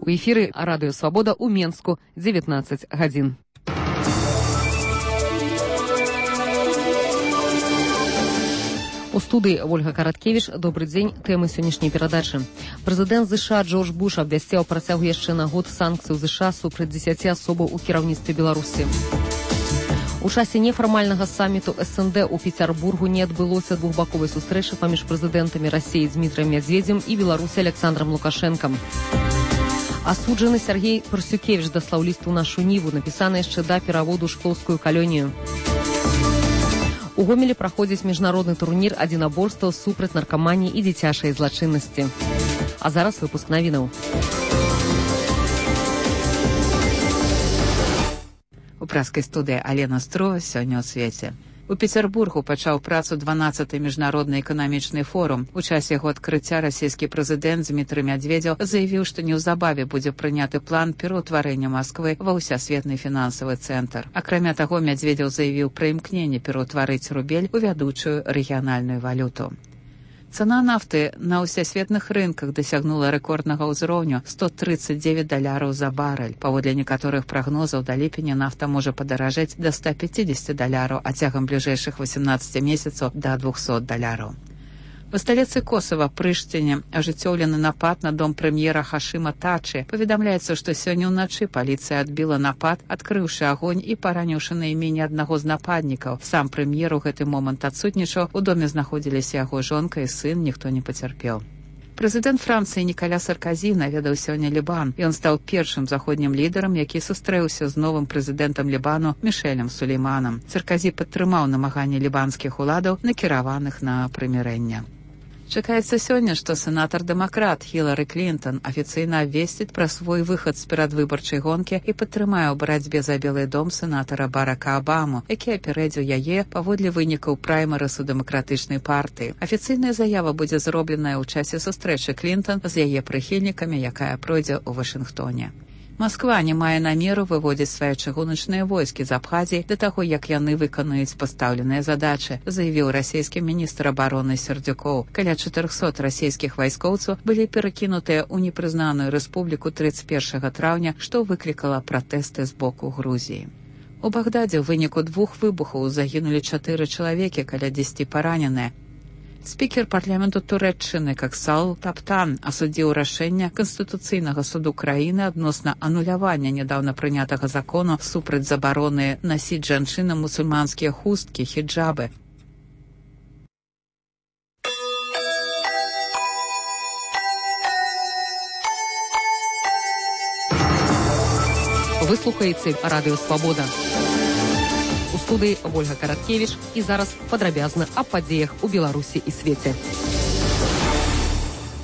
У эфіры Радыё Свабода ў Менску 19 гадзін. У студыі Ольга Караткевіч. Добры дзень. Тэмы сённяшняй перадачы. Прэзідэнт ЗША Джордж Буш абвясціў працягу яшчэ на год санкцый у ЗША супраць 10 асобаў у кіраўніцтве Беларусі. У часе нефармальнага саміту СНД у Петербургу не адбылося двухбаковай сустрэчы паміж прэзідэнтамі Расіі Дмітраем Мядзведзем і Беларусі Александром Лукашэнкам. Асуджаны Сергей Парсюкевич даслаў ліст у нашу ніву, напісаны яшчэ да пераводу ў шклоўскую калонію. У Гомелі праходзіць міжнародны турнір адзінаборстваў супраць наркаманіі і дзіцячай злачыннасці. А зараз выпуск навінаў. У праскай студыі Алена Строва сёння ў свеце. У Петербургу пачаў працу 12-й міжнародны эканамічны форум. У часе яго адкрыцця расійскі прэзідэнт Дмітрый Мядзведзеў заявіў, што неўзабаве будзе прыняты план пераўтварэння Масквы ва ўсясветны фінансавы цэнтр. Акрамя таго, Мядзведзеў заявіў пра імкненне пераўтварыць рубель у вядучую рэгіянальную валюту. Цана нафты на ўсясветных рынках дасягнула рэкорднага ўзроўню $139 за барэль. Паводле некаторых прагнозаў, да ліпеня нафта можа падаражэць да $150, а цягам бліжэйшых 18 месяцаў да $200. У сталіцы Косава, Прыштіне, ажыццёўлены напад на дом прэм'ера Хашыма Тачы. Паведамляецца, што сёння ўначы паліцыя адбіла напад, адкрыўшы агонь і параніўшы найменне аднаго з нападнікаў. Сам прэм'ер у гэты момант адсутнічаў, у доме знаходзіліся яго жонка і сын, ніхто не пацярпеў. Прэзідэнт Францыі Нікаля Сарказі наведаў сёння Лібан. Ён стаў першым заходнім лідарам, які сустрэўся з новым прэзідэнтам Лібану Мішэлем Сулейманам. Сарказі падтрымаў намаганні лібанскіх уладаў, накіраваных на прымірэнне. Чакаецца сёння, што сенатар-дэмакрат Хілары Клінтон афіцыйна абвесціць пра свой выхад з перадвыбарчай гонкі і падтрымае ў барацьбе за Белы дом сенатара Барака Абаму, які апярэдзіў яе паводле вынікаў праймерысу дэмакратычнай партыі. Афіцыйная заява будзе зробленая ў часе сустрэчы Клінтон з яе прыхільнікамі, якая пройдзе ў Вашынгтоне. Масква не мае намеру выводзіць свае чыгуначныя войскі з Абхазіі да таго, як яны выканаюць пастаўленыя задачы, заявіў расійскі міністр абароны Сердюкоў. Каля 400 расійскіх вайскоўцаў былі перакінутыя ў непрызнаную рэспубліку 31 траўня, што выклікала пратэсты з боку Грузіі. У Багдадзе ў выніку 2 выбухаў загінулі 4 чалавекі, каля 10 параненыя. Спікер парламенту Турэччыны Каксал Таптан асудзіў рашэнне Канстытуцыйнага суду краіны адносна анулявання нядаўна прынятага закону супраць забароны насіць жанчынам мусульманскія хусткі, хіджабы. Вы слухаеце Радыё Свабода. У студыі Ольга Караткевіч і зараз падрабязна аб падзеях у Беларусі і свеце.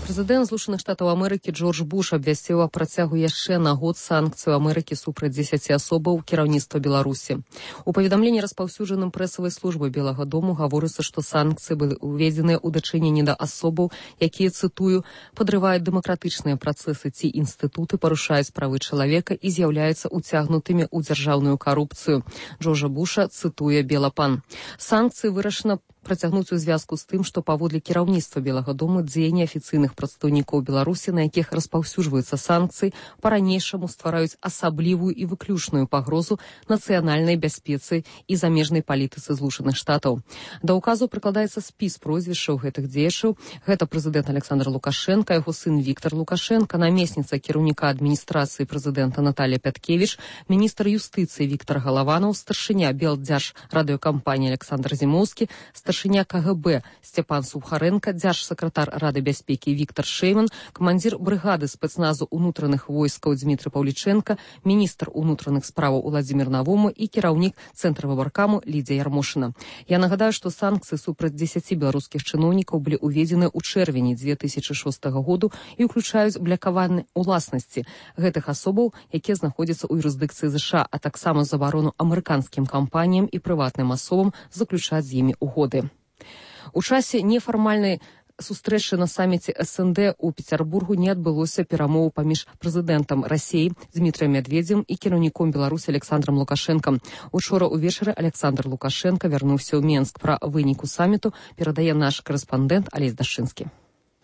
Прэзідэнт Злучаных Штатаў Амерыкі Джордж Буш абвясціў аб працягу яшчэ на год санкцыю Амерыкі супраць 10 асобаў кіраўніцтва Беларусі. У паведамленні, распаўсюджаным прэсавай службай Белага дому, гаворыцца, што санкцыі былі ўведзеныя ў дачыненні да асобаў, якія, цытую, падрываюць дэмакратычныя працэсы ці інстытуты, парушаюць правы чалавека і з'яўляюцца уцягнутымі ў дзяржаўную карупцыю. Джорджа Буша цытуе Белапан. Санкцыі вырашана працягнуць у звязку з тым, што паводле кіраўніцтва Белага дому дзеянні афіцыйных прадстаўнікоў Беларусі, на якіх распаўсюджваюцца санкцыі, па-ранейшаму ствараюць асаблівую і выключную пагрозу нацыянальнай бяспецы і замежнай палітыцы Злучаных Штатаў. Да ўказу прыкладаецца спіс прозвішчаў гэтых дзеячаў. Гэта прэзідэнт Александр Лукашенка, яго сын Віктор Лукашенка, намесніца кіраўніка адміністрацыі прэзідэнта Наталія Пяткевіч, міністр юстыцыі Віктор Галаванаў, старшыня Белдзяржрадыёкампаніі Александр Зімоўскі, старшыня КГБ Сцяпан Сухаренко, дзяржсакратар Рады бяспекі Віктор Шэйман, камандзір брыгады спецназу ўнутраных войскаў Дмітрый Паўліченко, міністр унутраных справаў Уладзімір Навому і кіраўнік Цэнтра выбаркаму Лідзія Ярмошына. Я нагадаю, што санкцыі супраць 10 беларускіх чыноўнікаў былі ўведзены ў чэрвені 2006 году і ўключаюць блакаванне уласнасці гэтых асобаў, якія знаходзяцца ў юрысдыкцыі ЗША, а таксама забарону амерыканскім кампаніям і прыватным асобам заключаць з імі угоды. У часе нефармальнай сустрэчы на саміце СНД у Петербургу не адбылося перамоў паміж прэзідэнтам Расіі Дмітраем Мядзведзем і кіраўніком Беларусі Александром Лукашэнкам. Учора ўвечары Александр Лукашенко вярнуўся ў Менск. Пра выніку саміту перадае наш корэспандэнт Алесь Дашчынскі.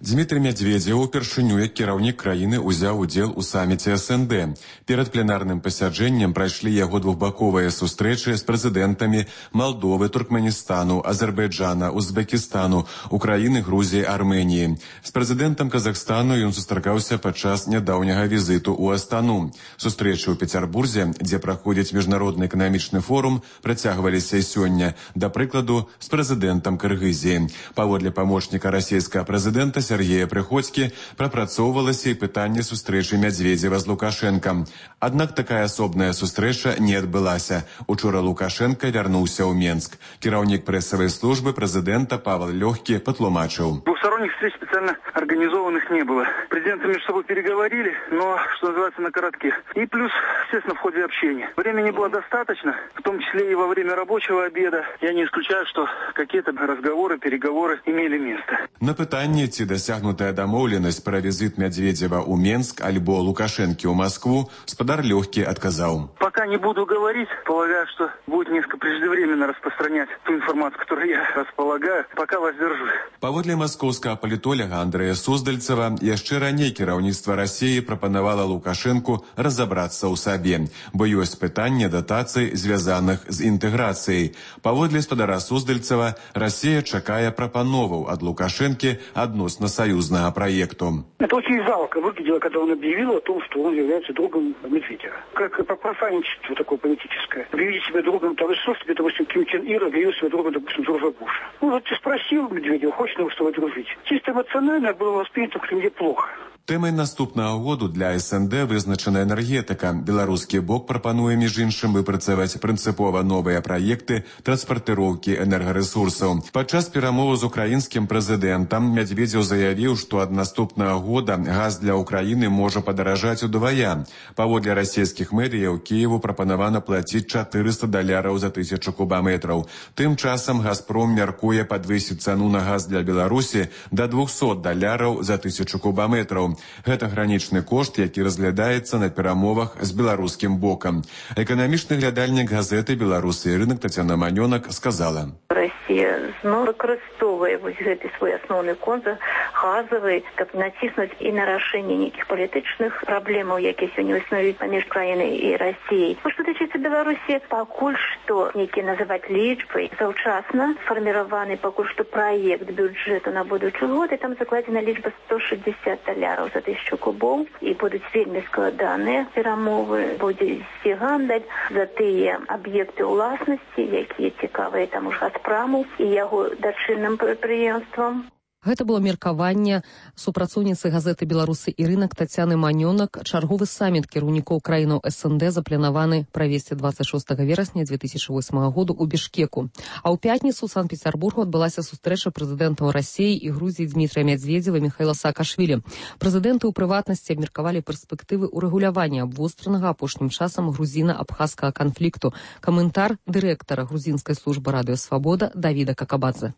Дмітрый Мядзведзеў упершыню як кіраўнік краіны ўзяў удзел у саміце СНД. Перад пленарным пасяджэннем прайшлі яго двухбаковыя сустрэчы з прэзідэнтамі Малдовы, Туркменістану, Азербайджана, Узбекістану, Украіны, Грузіі, Арменіі. З прэзідэнтам Казахстану ён сустракаўся падчас нядаўняга візіту ў Астану. Сустрэчы ў Пецярбурзе, дзе праходзіць міжнародны эканамічны форум, працягваліся і сёння, да прыкладу, з прэзідэнтам Кыргызіі. Паводле памочніка расійскага прэзідэнта Сергея Прыходзькі прапрацоўвалася і пытанне сустрэчы Мядзведзева з Лукашэнкам. Аднак такая асобная сустрэча не адбылася. Учора Лукашенко вярнуўся ў Менск. Кіраўнік прэсавай службы прэзідэнта Павел Лёгкі патлумачыў. Двухсторонних встреч специально организованных не было. Президенты между собой переговорили, но, что называется, на коротке. И плюс, естественно, в ходе общения. Времени было достаточно, в том числе и во время рабочего обеда. Я не исключаю, что какие-то разговоры, переговоры имели место. На пытанне, ці дасягнутая дамоўленасць пра візіт Мядзведзева ў Менск альбо Лукашэнкі ў Маскву, спадар Лёгкі адказаў. Пока не буду говорить, полагаю, что будет несколько преждевременно распространять ту информацию, которую я располагаю. Пока воздержусь. Паводле маскоўскага палітоляга Андрэя Суздальцева, яшчэ раней кіраўніцтва Расіі прапанавала Лукашэнку разабрацца ў сабе, бо ёсць пытанне датацый, звязаных з інтэграцыяй. Паводле спадара Суздальцева, Расія чакае прапановаў ад Лукашэнкі относно союзного проекту. Это очень жалко выглядело, когда он объявил о том, что он является другом Медведева. Как профанничество такое политическое. Объявить себя другом того же, что, допустим, Ким Чен Ир объявил себя другом, допустим, Джорджа Буша. Ну вот ты спросил Медведева, хочет ли он с тобой дружить. Чисто эмоционально было воспринято в Кремле плохо. Тэмай наступнага году для СНД вызначана энергетыка. Беларускі бок прапануе, між іншым, выпрацаваць прынцыпова новыя праекты транспартыроўкі энергарэсурсаў. Падчас перамоваў з украінскім прэзідэнтам Мядзведзеў заявіў, што ад наступнага года газ для Украіны можа падаражаць удвая. Паводле расійскіх медыяў Кіеву прапанавана плаціць $400 за 1000 кубаметраў. Тым часам Газпром мяркуе падвысіць цану на газ для Беларусі да $200 за 1000 кубаметраў. Гэта гранічны кошт, які разглядаецца на перамовах з беларускім бокам. Эканамічны глядальнік газеты «Беларусы і рынок» Тацяна Манёнак сказала. Расія зноў выкарыстоўвае гэты свой асноўны контур газавы, каб націснуць і на рашэнне нейкіх палітычных праблемаў, якія сёння існуюць паміж краінай і Расіяй. Што тычыцца Беларусі, пакуль што нейкія называць лічбы заўчасна сфарміраваны пакуль што праект бюджэту на будучы год, і там закладзена лічба $160 за 1000 кубоў, і будуць вельмі складаныя перамовы, будзе ісці гандаль за тыя аб'екты ўласнасці, якія цікавыя таму ж Газпраму і яго дачынным прадпрыемствам. Гэта было меркаванне супрацоўніцы газеты «Беларусы і рынок» Тацяны Манёнак. Чарговы саміт кіраўнікоў краінаў СНД запланаваны правесці 26 верасня 2008 году ў Бішкеку. А ў пятніцу ў Санкт-Петербургу адбылася сустрэча прэзідэнтаў Расіі і Грузіі Дмітрыя Мядзведзева і Міхаіла Саакашвілі. Прэзідэнты ў прыватнасці абмеркавалі перспектывы ўрэгулявання абвостранага апошнім часам грузіна-абхазскага канфлікту. Каментар дырэктара грузінскай службы «Радыё Свабода» Давіда Какабадзе.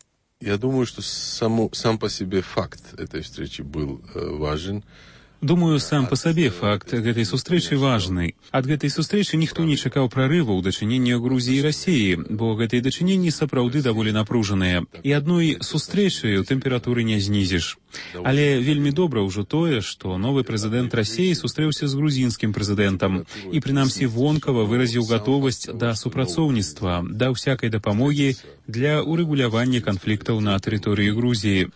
Я думаю, что сам по себе факт этой встречи был важен. Думаю, сам по сабе факт гэтай сустрэчы важны. Ад гэтай сустрэчы ніхто не чакаў прарыву ў дачыненні Грузіі і Расіі, бо гэтыя дачыненні сапраўды даволі напружаныя. І адной сустрэчаю тэмпературы не знізіш. Але вельмі добра ўжо тое, што новы прэзідэнт Расіі сустрэўся з грузінскім прэзідэнтам і прынамсі вонкава выразіў гатовасць да супрацоўніцтва, да ўсякай дапамогі для урэгулявання канфліктаў на тэрыторыі Грузіі.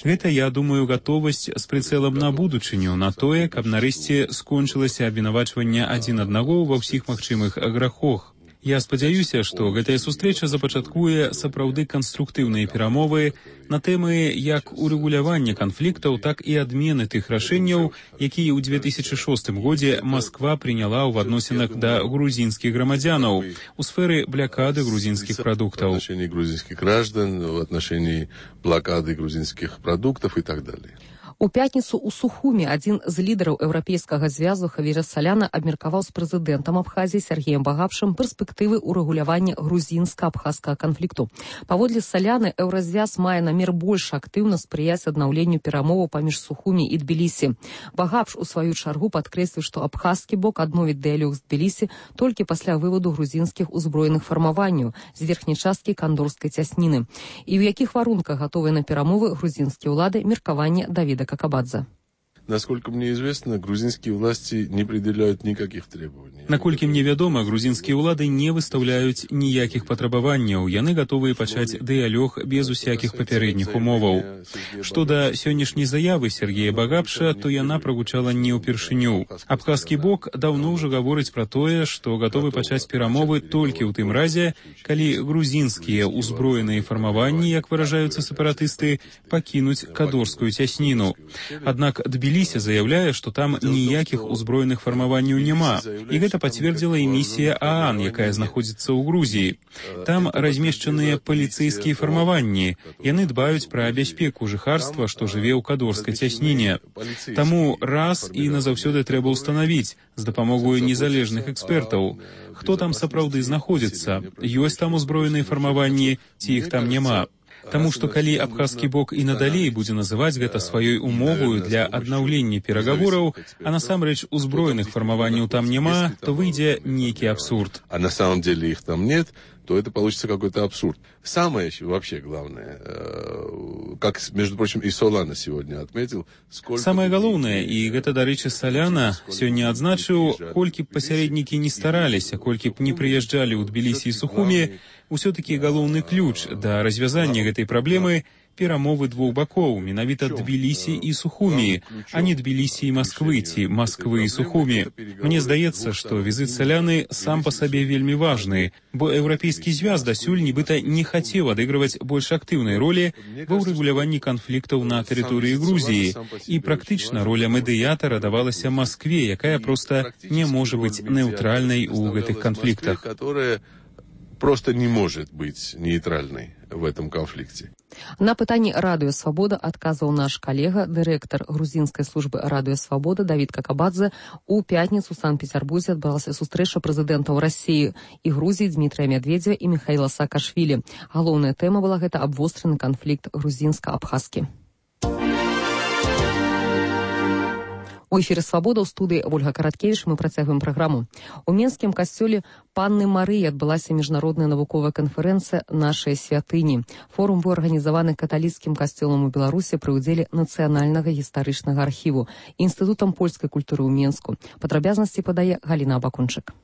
Гэта, я думаю, гатовасць з прыцэлам на будучыню, на тое, каб нарэшце скончылася абвінавачванне адзін аднаго ва ўсіх магчымых грахах. Я спадзяюся, што гэтая сустрэча запачаткуе сапраўды канструктыўныя перамовы на тэмы як урэгулявання канфліктаў, так і адмены тых рашэнняў, якія ў 2006 годзе Масква прыняла ў адносінах да грузінскіх грамадзянаў у сферы блакады грузінскіх прадуктаў. В отношении грузинских граждан, в отношении блокады грузинских продуктов и так далее. У пятніцу ў Сухуме адзін з лідараў еўрапейскага звязу Хавіер Саляна абмеркаваў з прэзідэнтам Абхазіі Сергеем Багапшым перспектывы ўрэгулявання грузінска-абхазскага канфлікту. Паводле Саляны, еўразвяз мае намер больш актыўна спрыяць аднаўленню перамоваў паміж Сухумі і Тбілісі. Багапш у сваю чаргу падкрэсліў, што абхазскі бок адновіць дыялог з Тбілісі толькі пасля выводу грузінскіх узброеных фармаванняў з верхняй часткі кандорскай цясніны. І ў якіх варунках гатовыя на перамовы грузінскія ўлады, меркаванне Давіда Какабадзе. Насколько мне известно, грузинские власти не предъявляют никаких требований. Наколькі мне вядома, грузінскія ўлады не выстаўляюць ніякіх патрабаванняў. Яны гатовыя пачаць дыялог без усякіх папярэдніх умоваў. Што да сённяшняй заявы Сергея Багапша, то яна прагучала не ўпершыню. Абхазскі бок даўно ўжо гаворыць пра тое, што гатовы пачаць перамовы толькі ў тым разе, калі грузінскія ўзброеныя фармаванні, як выражаюцца сепаратысты, пакінуць кадорскую цясніну. Аднак Тбілісі заяўляе, што там ніякіх узброеных фармаванняў няма. І гэта пацвердзіла і місія ААН, якая знаходзіцца ў Грузіі. Там размешчаныя паліцэйскія фармаванні. Яны дбаюць пра бяспеку жыхарства, што жыве ў кадорскай цясніне. Таму раз і назаўсёды трэба ўстанавіць з дапамогою незалежных экспертаў, хто там сапраўды знаходзіцца, ёсць там узброеныя фармаванні, ці іх там няма. Таму што калі абхазскі бок і надалей будзе называць гэта сваёй умовою для аднаўлення перагавораў, а насамрэч узброеных фармаванняў там няма, то выйдзе нейкі абсурд. А на самом деле их там нет, то это получится какой-то абсурд. Самое вообще главное, как, между прочим, и Солана сегодня отметил, сколько... Самае галоўнае, і гэта, дарэчы, Саляна сёння адзначыў, колькі б пасярэднікі не стараліся, колькі б не прыязджалі ў Тбілісі і Сухуме, усё-такі галоўны ключ да развязання гэтай праблемы — перамовы двух бакоў, менавіта Тбілісі і Сухумі, а не Тбілісі і Масквы, ці Масквы і Сухумі. Мне здаецца, што візіт Саляны сам па сабе вельмі важны, бо еўрапейскі звяз дасюль нібыта не хацеў адыгрываць больш актыўнай ролі ва ўрэгуляванні канфліктаў на тэрыторыі Грузіі, і практычна роля медыятара давалася Маскве, якая проста не можа быць нейтральнай у гэтых канфліктах. Просто не может быть нейтральной в этом конфликте. На пытанні Радыё Свабода адказваў наш калега, дырэктар грузінскай службы Радыё Свабода Давід Какабадзе. У пятніцу ў Санкт-Петербурзе адбылася сустрэча прэзідэнтаў Расіі і Грузіі Дмітрыя Медведзева і Міхаіла Саакашвілі. Галоўная тэма была гэта абвостраны канфлікт грузінска-абхазскі. У эфіры «Свабода» ў студыі Ольга Караткевіч мы працягваем праграму. У Менскім касцёле Панны Марыі адбылася міжнародная навуковая канферэнцыя «Нашыя святыні». Форум быў арганізаваны каталіцкім касцёлам у Беларусі пры ўдзеле Нацыянальнага гістарычнага архіву і Інстытутам польскай культуры ў Менску. Падрабязнасці падае Галіна Абакунчык.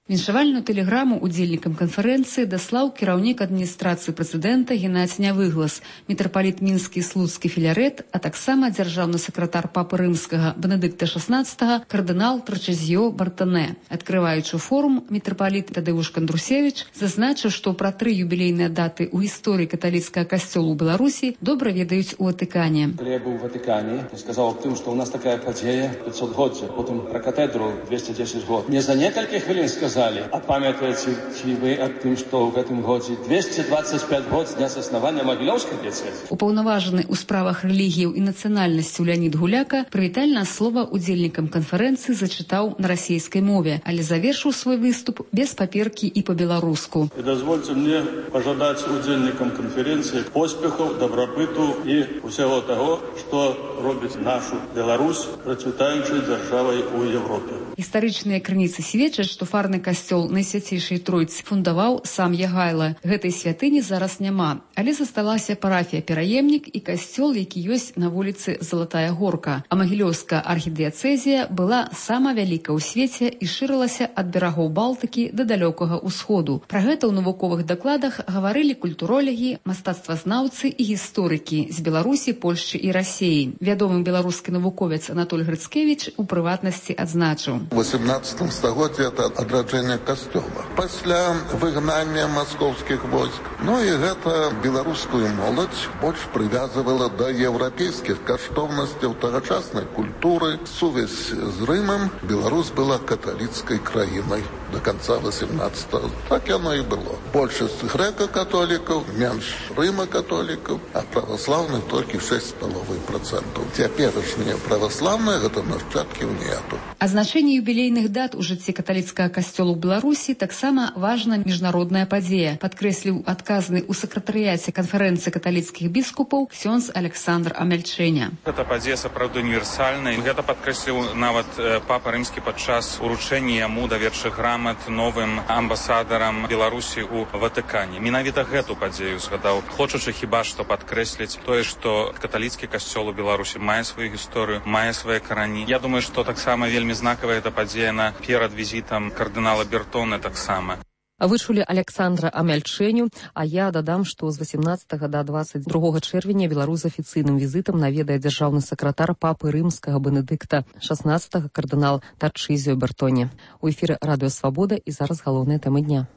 Віншавальную тэлеграму удзельнікам канферэнцыі даслаў кіраўнік адміністрацыі прэзідэнта Геннадзь Нявыглас, мітрапаліт мінскі і слуцкі Філярет, а таксама дзяржаўны сакратар папы рымскага Бенедыкта XVI, кардынал Трачезіо Бартане. Адкрываючы форум, мітрапаліт Тадеуш Кандрусевіч зазначыў, што пра 3 юбілейныя даты ў гісторыі каталіцкага касцёла ў Беларусі добра ведаюць у Ватыкане. Калі я быў у Ватыкане, я сказаў аб тым, што ў нас такая падзея 500-годдзя, потым пра катедру 210 год. Не за некалькі хвілін сказаў, а памятаеце вы аб тым, што ў гэтым годзе 225 год з дня заснавання Магілёўскай дыяцэзі? Упаўнаважаны ў справах рэлігіяў і нацыянальнасцяў Леонід Гуляка прывітальнае слова удзельнікам канферэнцыі зачытаў на расійскай мове, але завершыў свой выступ без паперкі і па-беларуску. І дазвольце мне пажадаць удзельнікам канферэнцыі поспехаў, дабрабыту і ўсяго таго, што робіць нашу Беларусь працвітаючай дзяржавай у Европе. Гістарычныя крыніцы сведчаць, што фарны касцёл Найсвяцейшай Тройцы фундаваў сам Ягайла. Гэтай святыні зараз няма, але засталася парафія Пераемнік і касцёл, які ёсць на вуліцы Залатая Горка. А Магілёўская архідыяцэзія была сама вялікая ў свеце і шырылася ад берагоў Балтыкі да далёкага ўсходу. Пра гэта ў навуковых дакладах гаварылі культуролегі, мастацтвазнаўцы і гісторыкі з Беларусі, Польшчы і Расіі. Вядомы беларускі навуковец Анатоль Грыцкевіч у прыватнасці адзначыў. У 18 стагоддзі это адраджэнне касцёла. Пасля выгнання маскоўскіх войск. Ну і гэта беларускую моладзь больш прывязвала да еўрапейскіх каштоўнасцяў тагачаснай культуры. Сувязь з Рымам. Беларусь была каталіцкай краінай до конца 18-го. Так оно и было. Больше греко-католиков, меньше римо-католиков, а православных только 6,5%. Теперешние православные, это нащадків нету. Азначэнне юбілейных дат у жыцці каталіцкага касцёла ў Беларусі таксама важна міжнародная падзея, падкрэсліў адказны ў сакратарыяце канферэнцыі каталіцкіх біскупаў ксёндз Александр Амельчэня. Гэта падзея сапраўды універсальная. Гэта падкрэсліў нават папа рымскі падчас уручэння яму даверчых грамат новым амбасадарам Беларусі ў Ватыкане. Менавіта гэту падзею згадаў, хочучы хіба што падкрэсліць тое, што каталіцкі касцёл у Беларусі мае сваю гісторыю, мае свае карані. Я думаю, што таксама вельмі знакавая эта падзея перад візітам кардынала Бертоне таксама. Вы чулі Александра Амельчэню, а я дадам, што з 18 да 22 чэрвеня Беларусь з афіцыйным візітам наведае дзяржаўны сакратар папы рымскага Бенедыкта 16 кардынал Тарчызіо Бертоне. У эфіры Радыё Свабода і зараз галоўныя тэмы дня.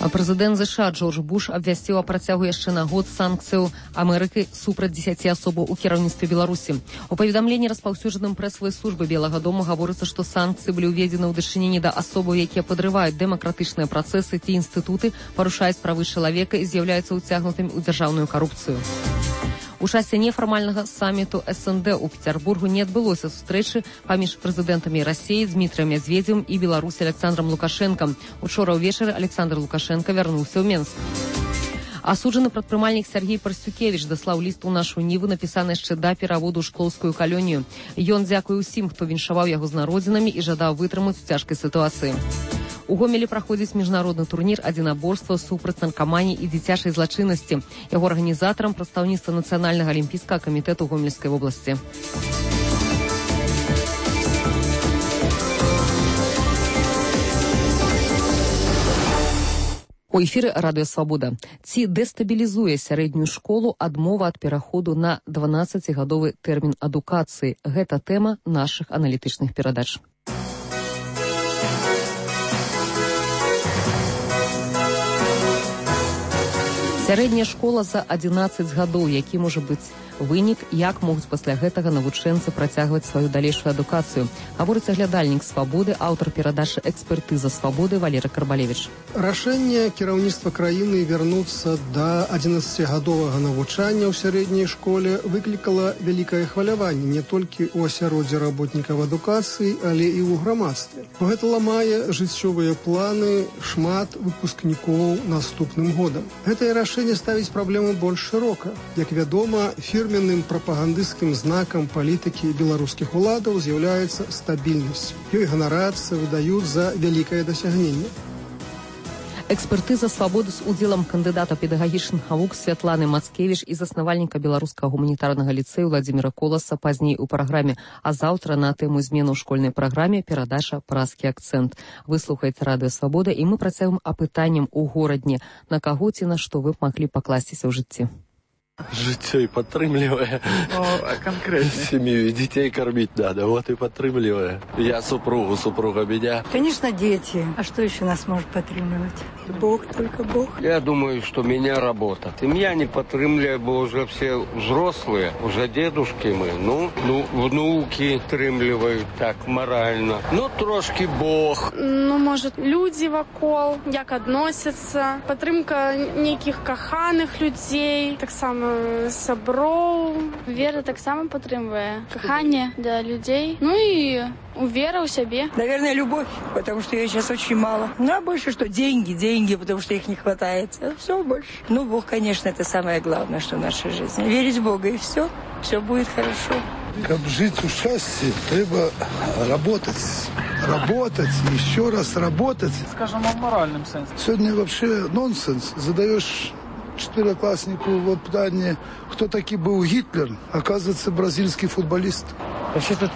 Прэзідэнт ЗША Джордж Буш абвясціў о працягу яшчэ на год санкцыяў Амерыкі супраць 10 асобаў у кіраўніцтве Беларусі. У паведамленні распаўсюджаным прэсавай службы Белага дома гаворыцца, што санкцыі былі ўведзены ў дачыненні да асобаў, якія падрываюць дэмакратычныя працэсы ці інстытуты, парушаюць правы чалавека і з'яўляюцца ўцягнутымі ў дзяржаўную карупцыю. У часе нефармальнага саміту СНД у Петербургу не адбылося сустрэчы паміж прэзідэнтамі Расіі Дмітрыем Мядзведзевым і Беларусі Александром Лукашэнкам. Учора ўвечары Александр Лукашенко вярнуўся ў Менск. Асуджаны прадпрымальнік Сергей Парсюкевіч даслаў ліст у нашу Ніву, напісаны яшчэ да пераводу ў шклоўскую калонію. Ён дзякуе ўсім, хто віншаваў яго з народзінамі і жадаў вытрымаць у цяжкай сітуацыі. У Гомелі праходзіць міжнародны турнір адзінаборства супраць наркаманіі і дзіцячай злачыннасці. Яго арганізатарам прадстаўніцтва Нацыянальнага алімпійскага камітэту Гомельскай вобласці. У эфіры Радыё Свабода. Ці дэстабілізуе сярэднюю школу адмова ад пераходу на 12-гадовы тэрмін адукацыі? Гэта тэма нашых аналітычных перадач. Сярэдняя школа за 11 гадоў, які можа быць вынік, як могуць пасля гэтага навучэнцы працягваць сваю далейшую адукацыю. Гаворыць аглядальнік «Свабоды», аўтар перадачы «Экспертыза Свабоды» Валерый Карбалевич. Рашэнне кіраўніцтва краіны вярнуцца да 11-гадовага навучання ў сярэдняй школе выклікала вялікае хваляванне не толькі ў асяроддзі работнікаў адукацыі, але і ў грамадстве. Гэта ламае жыццёвыя планы шмат выпускнікоў наступным годам. Гэтае рашэнне ставіць праблему больш шырока. Як вядома, фірменным прапагандысцкім знакам палітыкі беларускіх уладаў з'яўляецца стабільнасць. Ёй ганарацца, выдаюць за вялікае дасягненне. Экспертыза Свабоды з удзелам кандыдата педагагічных навук Святланы Мацкевіч і заснавальніка беларускага гуманітарнага ліцэю Владзіміра Коласа пазней у праграме, а заўтра на тэму змену ў школьнай праграме перадача «Празкі акцэнт». Выслухаеце Радыё Свабода, і мы працягваем апытаннем у горадні. На каго ці на што вы б маглі пакласціся ў жыцці? Жыццё і падтрымлівае. А конкретно? Семью детей кормить надо, вот и подтрымливая. Я супруга меня. Конечно, дети. А что еще нас может подтрымливать? Бог, только Бог. Я думаю, что меня работа. Семья не подтрымливает, бо уже все взрослые, уже дедушки мы. Ну, внуки подтрымливают так морально. Ну, трошки Бог. Ну, может, люди вокол, як относятся. Подтрымка неких каханых людей, так само сяброў. Вера таксама падтрымвае каханне для людей. Ну и вера у себе. Наверное, любовь, потому что ее сейчас очень мало. Ну, а больше что? Деньги, потому что их не хватает. Все больше. Ну, Бог, конечно, это самое главное, что в нашей жизни. Верить в Бога, и все будет хорошо. Как жить в счастье, треба работать, еще раз работать. Скажем, в моральном сенсе. Сегодня вообще нонсенс. Задаешь четверокласснику вот питание, кто таки был Гитлер, оказывается, бразильский футболист. Вообще тут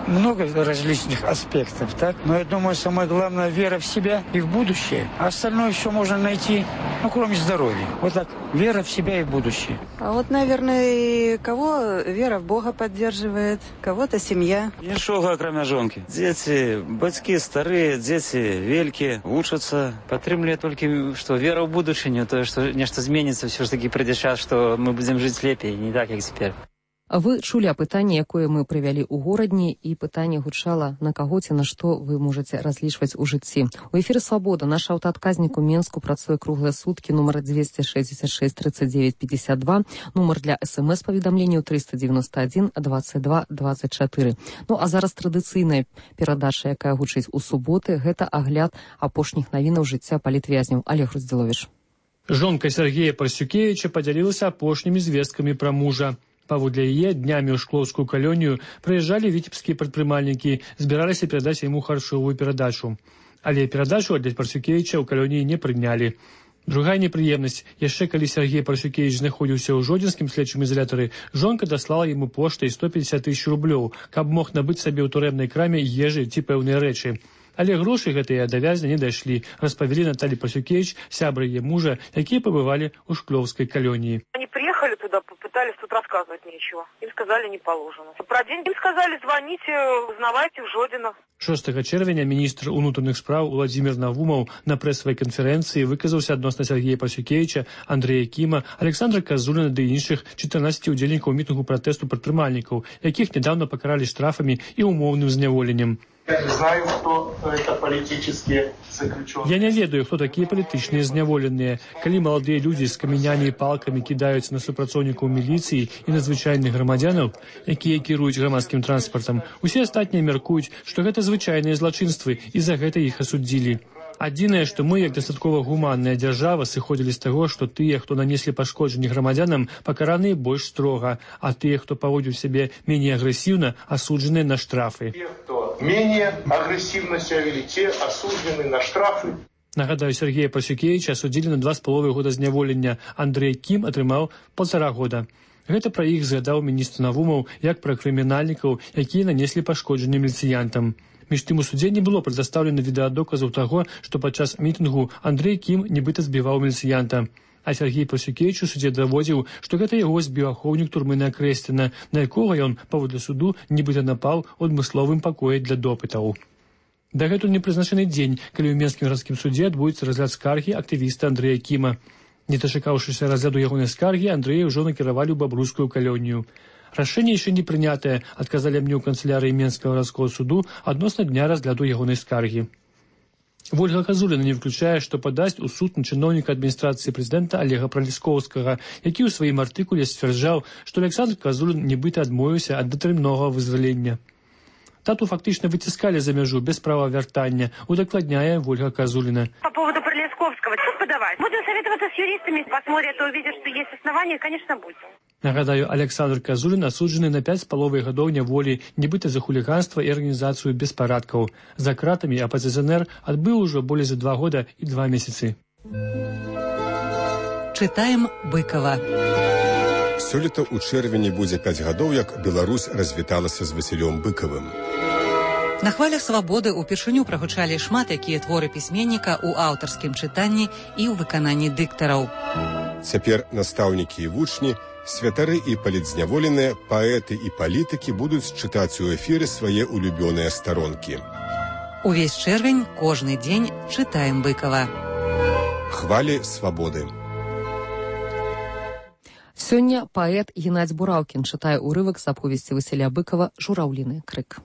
много различных аспектов, так? Но я думаю, самое главное — вера в себя и в будущее. А остальное все можно найти, кроме здоровья. Вот так, вера в себя и в будущее. А вот, наверное, кого вера в Бога поддерживает, кого-то семья. Ничего, кроме жонки. Дети, батьки старые, дети великие, учатся. Подтримливаю только, что вера в будущее, то, что нечто изменится, все-таки придет час, что мы будем жить лепее, не так, как теперь. Вы чулі апытанне, якое мы прывялі ў горадні, і пытанне гучала, на каго ці на што вы можаце разлічваць у жыцці. У эфіры «Свабода» наш аўтаадказнік у Менску працуе круглыя суткі, нумар 266 39 52, нумар для СМС-паведамленняў 391 22 24. Ну а зараз традыцыйная перадача, якая гучыць у суботы, гэта агляд апошніх навінаў жыцця палітвязняў. Олег Руздзіловіч. Жонка Сергея Парсюкевича поделилась апошнімі звесткамі пра мужа. Паводле яе днямі ў шклоўскую калонію прыязджалі віцебскія прадпрымальнікі, збіраліся перадаць яму харчовую перадачу. Але перадачу аддаць Парсюкевича ў калоніі не прынялі. Другая непрыемнасць. Яшчэ калі Сергей Парсюкевич знаходзіўся ў Жодзінскім следчым ізалятары, жонка даслала яму поштай 150 000 рублёў, каб мог набыць сабе ў турэмнай краме ежы ці пэўныя рэчы. Але грошы гэтыя да вязня не дайшлі, распавялі Наталья Парсюкевич, сябры яе мужа, якія пабывалі ў шклоўскай калоніі. Они приехали туда, попытались тут рассказывать нечего. Им сказали, не положено. Про деньги им сказали, звоните, узнавайте в Жодино. 6 чэрвеня міністр унутраных спраў Владзімір Навумаў на прэсавай канферэнцыі выказаўся адносна Сергея Парсюкевича, Андрэя Кіма, Александра Казуліна ды іншых 14 удзельнікаў мітынгу пратэсту прадпрымальнікаў, якіх нядаўна пакаралі штрафамі і умоўным зняволеннем. Я не знаю, кто это политические заключенные. Я не ведаю, хто такія палітычныя зняволеныя. Калі маладыя людзі з камянямі і палкамі кідаюць на супрацоўнікаў міліцыі і на звычайных грамадзянаў, якія кіруюць грамадскім транспартам, усе астатнія мяркуюць, што гэта звычайныя злачынствы, і за гэта іх асудзілі. Адзінае, што мы, як дастаткова гуманная дзяржава, сыходзілі з таго, што тыя, хто нанеслі пашкоджанні грамадзянам, пакараныя больш строга, а тыя, хто паводзіў сябе меней агрэсіўна, асуджаныя на штрафы. Менее агрессивно себя вели, те осуждены на штрафы. Нагадаю, Сергея Парсюкевича асудзілі на 2,5 года зняволення. Андрей Кім атрымаў 1,5 года. Гэта пра іх згадаў міністр Навумаў як пра крымінальнікаў, якія нанеслі пашкоджанне міліцыянтам. Між тым у судзе не было прадастаўлена відэадаказаў таго, што падчас мітынгу Андрей Кім нібыта збіваў міліцыянта. А Сергей Парсюкевич у судзе даводзіў, што гэта яго збіў ахоўнік турмы Кресціна, на якога ён, паводле суду, нібыта напаў у адмысловым пакоі для допытаў. Дагэтуль не прызначаны дзень, калі ў Менскім гарадскім судзе адбудзецца разгляд скаргі актывіста Андрэя Кіма. Не дачакаўшыся разгляду ягонай скаргі, Андрэя ўжо накіравалі ў Бабруйскую калонію. Рашэнне яшчэ не прынятае, адказалі мне ў канцылярыі Менскага гарадскога суду адносна дня разгляду ягонай скаргі. Вольга Казуліна не выключае, што падасць у суд на чыноўніка адміністрацыі прэзідэнта Олега Праліскоўскага, які ў сваім артыкуле сцвярджаў, што Александр Казулін нібыта адмовіўся ад датэрміновага вызвалення. Тату фактычна выціскалі за мяжу без права вяртання, удакладняе Вольга Казуліна. По поводу Праліскоўскага, что подавать? Будем советоваться с юристами, посмотрят и увидят, что есть основания, конечно, будем. Нагадаю, Александр Казулін асуджаны на 5,5 гадоў няволі, нібыта за хуліганства і арганізацыю беспарадкаў. За кратамі апазіцыянер адбыў ужо болей за 2 года і 2 месяцы. Чытаем Быкова. Сёлета ў чэрвені будзе 5 гадоў, як Беларусь развіталася з Васілём Быкавым. На хвалях свабоды ўпершыню прагучалі шмат якія творы пісьменніка ў аўтарскім чытанні і ў выкананні дыктараў. Цяпер настаўнікі і вучні, святары і палітзняволеныя, паэты і палітыкі будуць чытаць у эфіры свае улюбёныя старонкі. Увесь чэрвень, кожны дзень чытаем Быкава. Хвалі свабоды. Сёння паэт Геннадзь Бураўкін чытае урывак з аповесці Васіля Быкава «Жураўліны крык».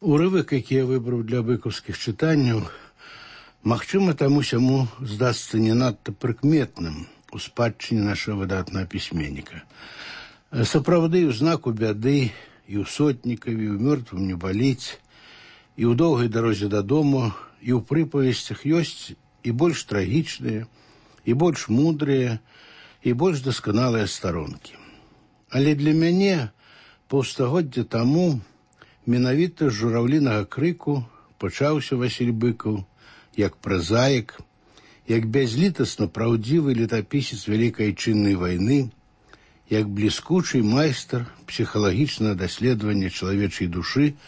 Урывак, які я выбраў для быкаўскіх чытанняў, магчыма, таму-сяму здасца не надта прыкметным у спадчыне нашага выдатнага пісьменніка. Сапраўды, у знаку бяды, і ў сотнікаві, і ў мёртвым не баліць, і ў доўгай дарозе дадому, і ў прыпавесцях ёсць і больш трагічныя, і больш мудрыя, і больш дасканалыя старонкі. Але для мяне паўстагоддзя таму менавіта з жураўлінага крыку пачаўся Васіль Быкаў як празаік, як бязлітасна праўдзівы летапісец Вялікай Айчыннай вайны, як бліскучы майстар псіхалагічнага даследавання чалавечай душы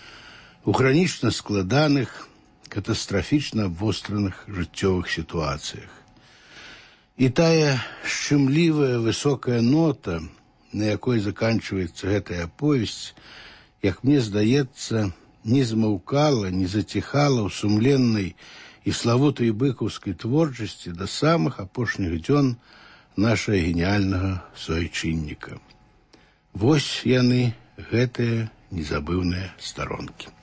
у хранічна складаных, катастрафічна абвостраных жыццёвых сітуацыях. І тая шчымлівая высокая нота, на якой заканчваецца гэтая аповесць, як мне здаецца, не змаўкала, не заціхала ў сумленнай і славутай быкаўскай творчасці да самых апошніх дзён нашага геніяльнага суайчынніка. Вось яны, гэтыя незабыўныя старонкі.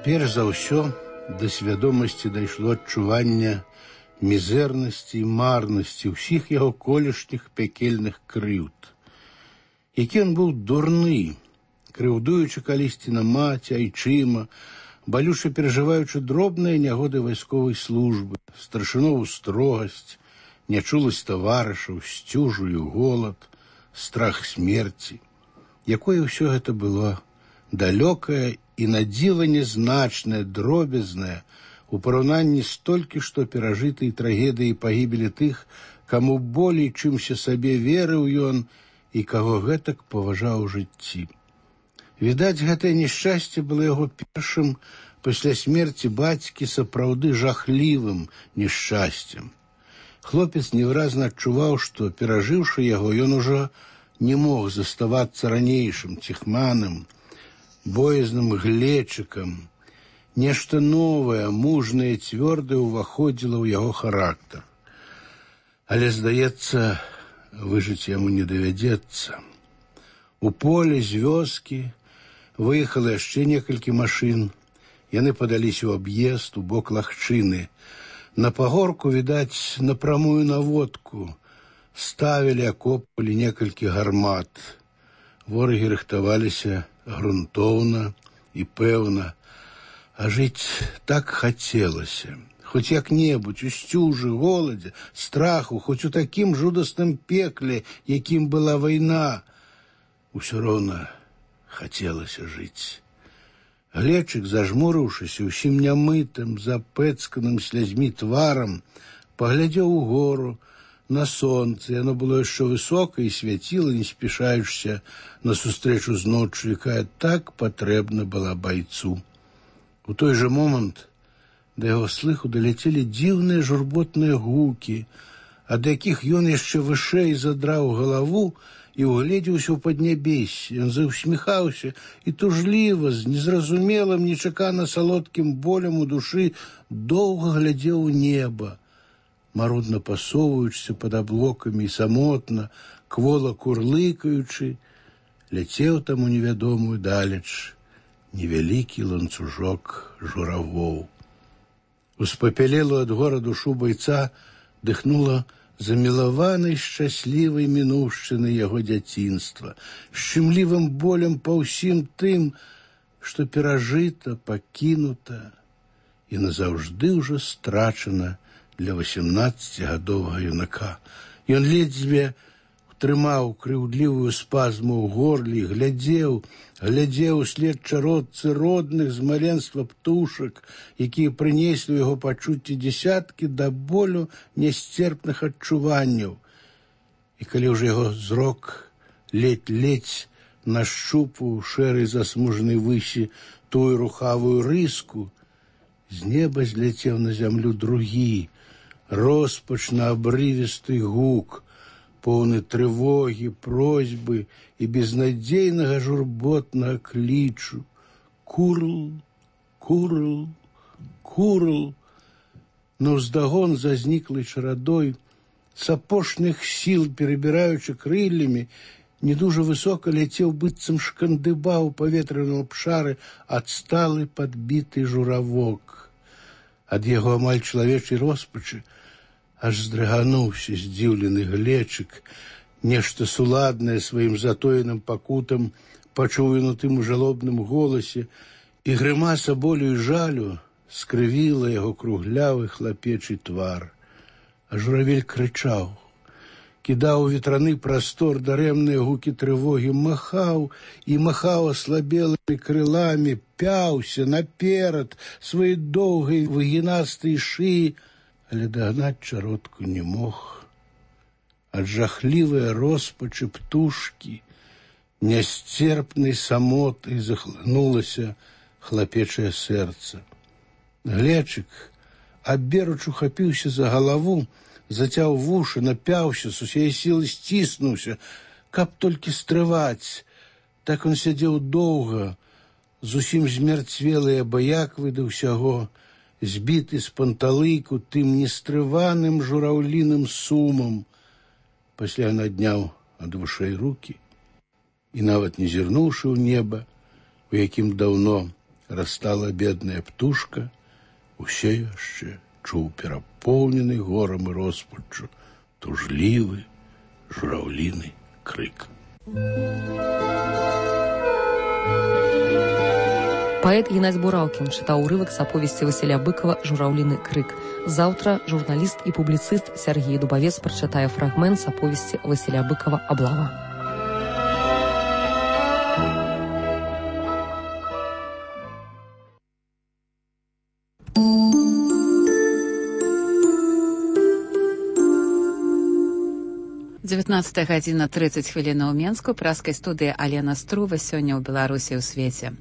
Перш за ўсё да свядомасці дайшло адчуванне мізэрнасці і марнасці ўсіх яго колішніх пякельных крыўд. Які ён быў дурны, крыўдуючы калісьці на маці, айчыма, балюча перажываючы дробныя нягоды вайсковай службы, старшынову строгасць, нячуласць таварышаў, сцюжу і голад, страх смерці. Якое ўсё гэта было далёкае і надзіва нязначнае, дробязнае, у параўнанні з толькі што перажытай трагедыяй пагібелі тых, каму болей чымся сабе верыў ён і каго гэтак паважаў у жыцці. Відаць, гэтае няшчасце было яго першым пасля смерці бацькі сапраўды жахлівым няшчасцем. Хлопец невыразна адчуваў, што, перажыўшы яго, ён ужо не мог заставацца ранейшым ціхманым, боязным глечыкам. Нешта новае, мужнае, цвёрдае ўваходзіла ў яго характар. Але, здаецца, выжыць яму не давядзецца. У поле з вёскі выехала яшчэ некалькі машын. Яны падаліся ў аб'езд у бок лагчыны. На пагорку, відаць, на прамую наводку ставілі, акопвалі некалькі гармат. Ворагі рыхтаваліся грунтоўна і пэўна. А жыць так хацелася. Хоць як-небудзь, у сцюжы, голадзе, страху, хоць у такім жудасным пекле, якім была вайна. Усё роўна хацелася жыць. Глечык, зажмурыўшыся, усім нямытым, запэцканым слязьмі тварам, паглядзеў угору, на сонца. Яно было яшчэ высока і свяціла, не спяшаючыся насустрэчу з ноччу, якая так патрэбна была байцу. У той жа момант да яго слыху даляцелі дзіўныя журботныя гукі, ад якіх ён яшчэ вышэй задраў галаву і угледзеўся ў паднябессе. Ён заўсміхаўся і тужліва, з незразумелым, нечакана салодкім болем у душы, доўга глядзеў у неба, марудна пасоўваючыся пад аблокамі і самотна, квола курлыкаючы, ляцеў там у невядомую далеч невялікі ланцужок журавоў. Успапялелу ад гора душу байца дыхнула замілаванай шчаслівай мінуўшчыны яго дзяцінства, шчымлівым болем па ўсім тым, што перажыта, пакінута і назаўжды ўжо страчана для 18-гадовага юнака. Ён ледзьве трымаў крыўдлівую спазму ў горле і глядзеў услед чародцы родных з маленства птушак, якія прынеслі ў яго пачуцці дзесяткі да болю нясцерпных адчуванняў. І калі ўжо яго зрок ледзь нашчупаў шэрай засмужанай высі тую рухавую рыску, з неба зляцеў на зямлю другі, роспачна-абрывісты гук, поўны трывогі, просьбы і безнадзейнага журботнага клічу. Курл, курл, курл. Наўздагон за зніклай чарадой, з апошніх сіл перабіраючы крыллямі, не дужа высока ляцеў, быццам шкандыба ў паветраным абшары адсталы падбіты журавок. Ад яго амаль чалавечай роспачы аж здрыгануўся здзіўлены глечык. Нешта суладнае сваім затоеным пакутам пачуў ён у тым жалобным голасе, і грымаса болю і жалю скрывіла яго круглявы хлапечы твар. А журавель крычаў, кідаў у ветраны прастор дарэмныя гукі трывогі, махаў аслабелымі крыламі, пяўся наперад сваёй доўгай выгінастай шыі, але дагнаць чародку не мог. Ад жахлівай роспачы птушкі нясцерпнай самотай захлынулася хлапечае сэрца. Глечык аберуч ухапіўся за галаву, зацяў вушы, напяўся, з усяе сілы сціснуўся, каб толькі стрываць. Так он сядзеў доўга, зусім змярцвелы і абыяквы да ўсяго, збіты з панталыку тым нестрываным жураўліным сумам. Пасля надняў ад вушэй рукі і, нават не зірнуўшы ў неба, у якім даўно растала бедная птушка, усе яшчэ чуў перапоўнены горам і роспаччу тужлівы жураўліны крык. Паэт Геннадзь Бураўкін чытаў урывак з аповесці Васіля Быкова «Жураўліны крык». Заўтра журналіст і публіцыст Сергей Дубавец прачытае фрагмент з аповесці Васіля Быкова «Аблава». Дзевятнаццатая гадзіна 30 хвілін у Менску. Праскай студыі Алена Струва. Сёння ў Беларусі ў свеце.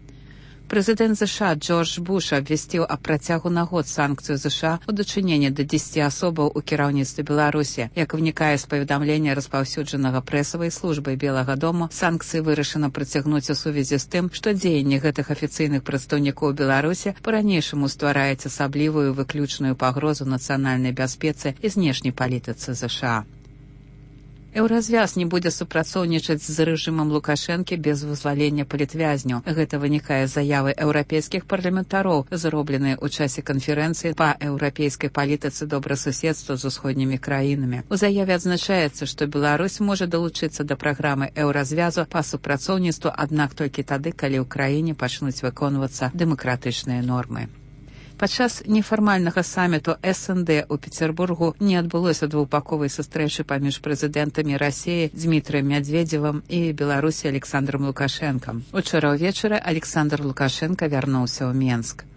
Прэзідэнт США Джордж Буш абвясціў аб працягу на год санкцыю США ў дачыненні да 10 асобаў у кіраўніцтве Беларусі. Як вынікае з паведамлення распаўсюджанага прэсавай службай Белага дому, санкцыі вырашана прыцягнуць у сувязі з тым, што дзеянне гэтых афіцыйных прадстаўнікоў Беларусі па-ранейшаму ствараюць асаблівую выключную пагрозу нацыянальнай бяспецы і знешняй палітыцы США. Еўразвяз не будзе супрацоўнічаць з рэжымам Лукашэнкі без вызвалення палітвязняў. Гэта вынікае з заявы еўрапейскіх парламентароў, зробленай у часе канферэнцыі па еўрапейскай палітыцы добрасуседства з усходнімі краінамі. У заяве адзначаецца, што Беларусь можа далучыцца да праграмы еўразвязу па супрацоўніцтву, аднак толькі тады, калі ў краіне пачнуць выконвацца дэмакратычныя нормы. Падчас нефармальнага саміту СНД у Петербургу не адбылося двухбаковай сустрэчы паміж прэзідэнтамі Расіі Дмітрыем Мядзведзевым і Беларусі Александром Лукашэнкам. Учора ўвечары Александр Лукашенко вярнуўся ў Менск.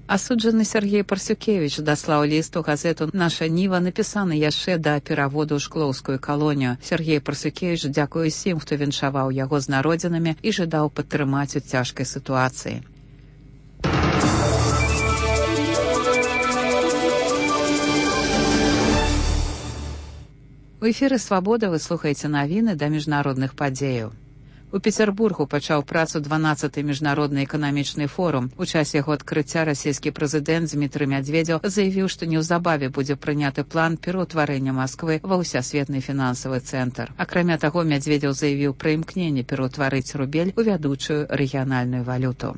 Асуджаны Сергей Парсюкевіч даслаў ліст у газету «Наша Ніва», напісаны яшчэ да пераводу ў шклоўскую калонію. Сергей Парсюкевіч дзякуе усім, хто віншаваў яго з народзінамі і жадаў падтрымаць у цяжкай сітуацыі. У эфіры «Свабода» вы слухаеце навіны да міжнародных падзеяў. У Петербургу пачаў працу 12-й міжнародны эканамічны форум. У часе яго адкрыцця расійскі прэзідэнт Дмітрый Мядзведзеў заявіў, што неўзабаве будзе прыняты план пераўтварэння Масквы ва ўсясветны фінансавы цэнтр. Акрамя таго, Мядзведзеў заявіў пра імкненне пераўтварыць рубель у вядучую рэгіянальную валюту.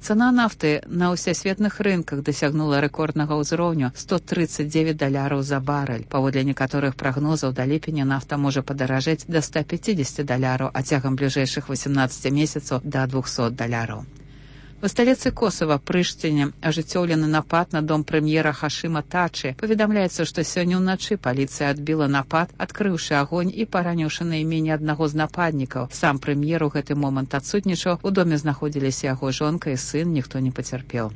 Цана нафты на ўсесветных рынках дасягнула рэкорднага ўзроўню $139 за барэль. Паводле некаторых прагнозаў, да ліпеня нафта можа падаражэць да $150, а цягам бліжэйшых 18 месяцаў да $200. У сталіцы Косава, Прыштыне, ажыццёўлены напад на дом прэм'ера Хашыма Тачы. Паведамляецца, што сёння ўначы паліцыя адбіла напад, адкрыўшы агонь і параніўшы найменне аднаго з нападнікаў. Сам прэм'ер у гэты момант адсутнічаў, у доме знаходзіліся яго жонка і сын, ніхто не пацярпеў.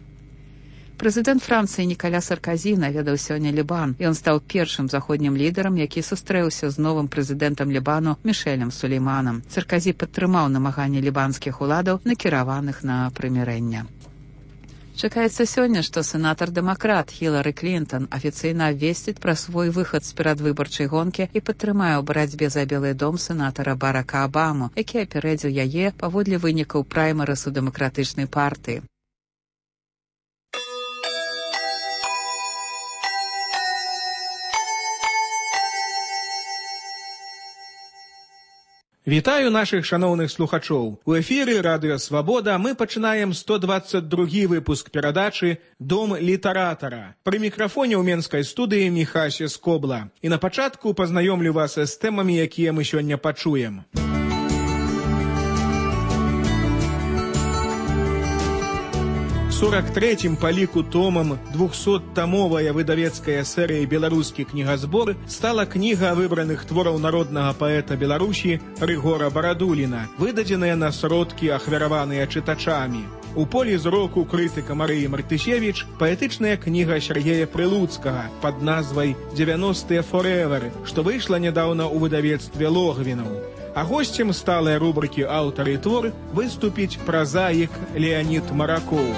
Прэзідэнт Францыі Нікаля Сарказі наведаў сёння Лібан. Ён стаў першым заходнім лідарам, які сустрэўся з новым прэзідэнтам Лібану Мішэлем Сулейманам. Сарказі падтрымаў намаганні лібанскіх уладаў, накіраваных на прымірэнне. Чакаецца сёння, што сенатар-дэмакрат Хілары Клінтон афіцыйна абвесціць пра свой выхад з перадвыбарчай гонкі і падтрымае ў барацьбе за Белы дом сенатара Барака Абаму, які апярэдзіў яе паводле вынікаў праймарысу дэмакратычнай партыі. Вітаю нашых шаноўных слухачоў. У эфіры радыё «Свабода» мы пачынаем 122 выпуск перадачы «Дом літаратара». Пры мікрафоне ў менскай студыі Міхася Скобла. І на пачатку пазнаёмлю вас з тэмамі, якія мы сёння пачуем. 43-м па ліку томам 200-тамовая выдавецкая серыя «Беларускі кнігазбор» стала кніга выбраных твораў народнага паэта Беларусі Рыгора Барадуліна, выдадзеная на сродкі, ахвяраваныя чытачамі. У полі зроку крытыка Марыі Мартысевіч паэтычная кніга Сергея Прылуцкага пад назвай «90-е forever», што выйшла нядаўна ў выдавецтве Логвінаў. А госцем сталай рубрыкі «Аўтар і твор» выступіць празаік Леанід Маракоў.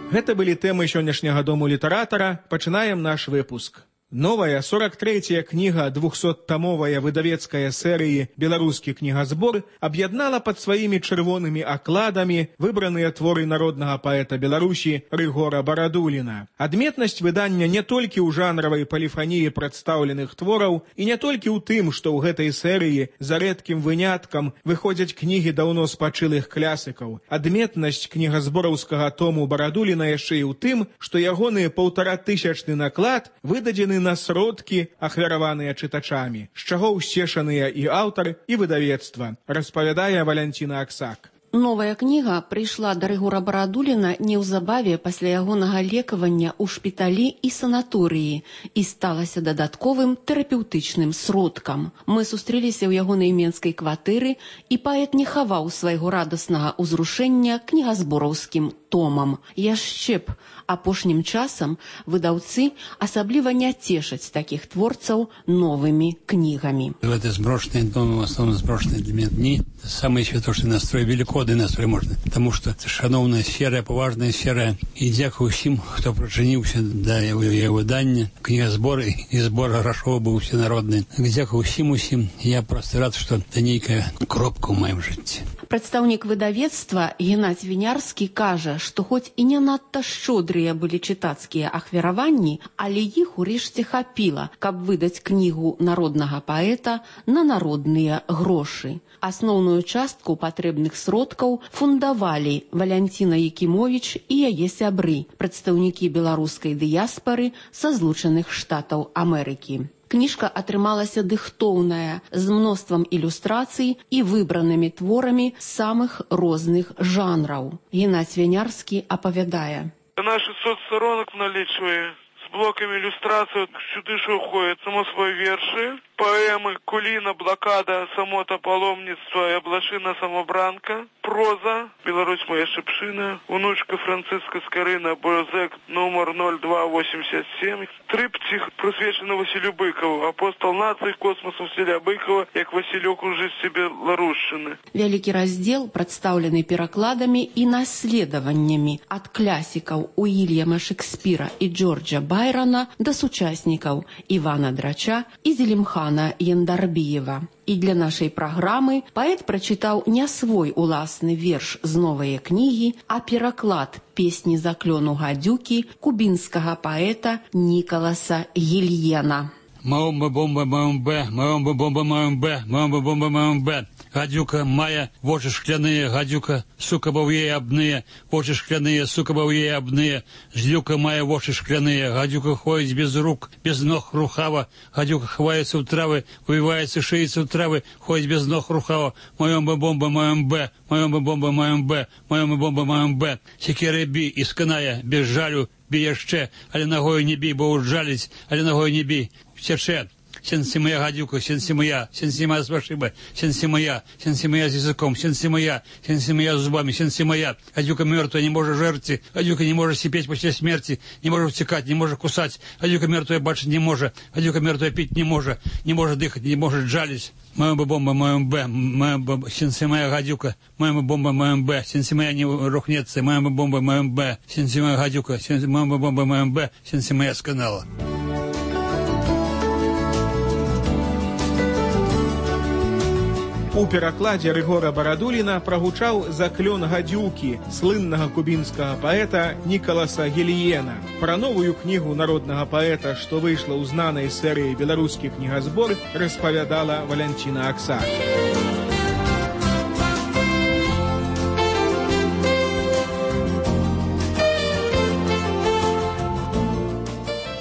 Гэта былі тэмы сённяшняга дому літаратара. Пачынаем наш выпуск. Новая 43-я книга 200-томовая выдавецкая серии «Белорусский книгасбор» объединала под своими червоными окладами выбранные творы народного поэта Беларуси Рыгора Барадулина. Адметнасць выдання не толькі ў жанравай полифонии представленных твораў і не толькі ў тым, што ў гэтай серыі за рэдкім выняткам выходзяць кнігі даўно спачылых класікаў. Адметнасць кнігасбораўскага тому Барадуліна яшчэ і ў тым, што ягоны 1500-ны наклад выдадзены на сродкі, ахвяраваныя чытачамі, з чаго ўсцешаныя і аўтар, і выдавецтва, распавядае Валянціна Аксак. Новая кніга прыйшла да Рыгора Барадуліна неўзабаве пасля ягонага лекавання ў шпіталі і санаторыі і сталася дадатковым тэрапеўтычным сродкам. Мы сустрэліся ў ягонай менскай кватэры, і паэт не хаваў свайго радаснага ўзрушэння кнігасбораўскім томам. Яшчэ б, апошнім часам выдаўцы асабліва не цешаць такіх творцаў новымі кнігамі. Это сброшенные дома, в основном сброшенные для меня дни. Самый святошный настрой, великодный настрой можно. Потому что это шановная сфера, поважная сфера. И дякую всем, кто причиніўся до его выдання, книгасбора и сбора грошового был всенародный. Дякую всем. Я просто рад, что это некая кропка в моем житті. Прадстаўнік выдавецтва Геннадзь Вінярскі кажа, што хоць і не надта шчодрыя былі чытацкія ахвяраванні, але іх урэшце хапіла, каб выдаць кнігу народнага паэта на народныя грошы. Асноўную частку патрэбных сродкаў фундавалі Валянціна Якімовіч і яе сябры, прадстаўнікі беларускай дыяспары са Злучаных Штатаў Амерыкі. Кніжка атрымалася дыхтоўная, з мноствам ілюстрацый і выбранымі творамі самых розных жанраў. Геннадзь Вінярскі апавядае. Наш 600 сторонок налічвае з блокамі ілюстрацый, сюды ж уходять само свої верші, поэмы «Куліна», «Блокада», «Самота», «Паломництво» и «Облашина самобранка», проза «Беларусь моя шепшина», «Внучка Франциска Скорина», «Борзек» номер 0287, триптих, присвячений Василю Быкову, «Апостол нації космосу» Василя Быкова, як Василек уже себе Беларушчыны. Вялікі раздзел прадстаўлены перакладамі і наследаваннямі ад класікаў Уільяма Шекспіра і Джорджа Байрона да сучаснікаў Івана Драча і Зелімхана Яндарбіева. І для нашай праграмы паэт прачытаў не свой уласны верш з новай кнігі, а пераклад песні заклёну гадзюкі кубінскага паэта Нікаласа Гільена. Маомба-бомба-маомбе, маомба-бомба-маомбе, маомба-бомба-маомбе. Гадюка мая, вочы шкляные, гадюка, сука бов'є абные, вочы шкляные, сука бов'є абные. Жлюка мая, вочы шкляные, гадюка ходит без рук, без ног рухава. Гадюка ховается в травы, увивается, шеется в травы, ходит без ног рухава. Маомба-бомба-маомбе, маомба-бомба-маомбе, маомба-бомба-маомбе. Секера бі, ісканая, без жалю, бі яшчэ, але ногою не бі, бо ужаліць, але ногою не бі. Втече. Сенси моя гадюка, сенси моя с вашиба, сенси моя с языком, сенси моя с зубами, сенси моя. Гадюка мертвая не может жерти, гадюка не может сипеть после смерти, не может втекать, не может кусать, гадюка мертвая бачить не может, гадюка мертвая пить не может дыхать, не может жалить. Моя бомба, моя б, сенси моя гадюка, моя бомба, моя б, сенси моя не рухнется, моя бомба, моя б, сенси моя гадюка, сенси моя бомба, моя б, сенси моя с канала. У перакладзе Рыгора Барадуліна прагучаў заклён гадзюкі слыннага кубінскага паэта Нікаласа Гільена. Пра новую кнігу народнага паэта, што выйшла ў знанай серыі «Беларускі кнігасбор», распавядала Валянціна Аксак.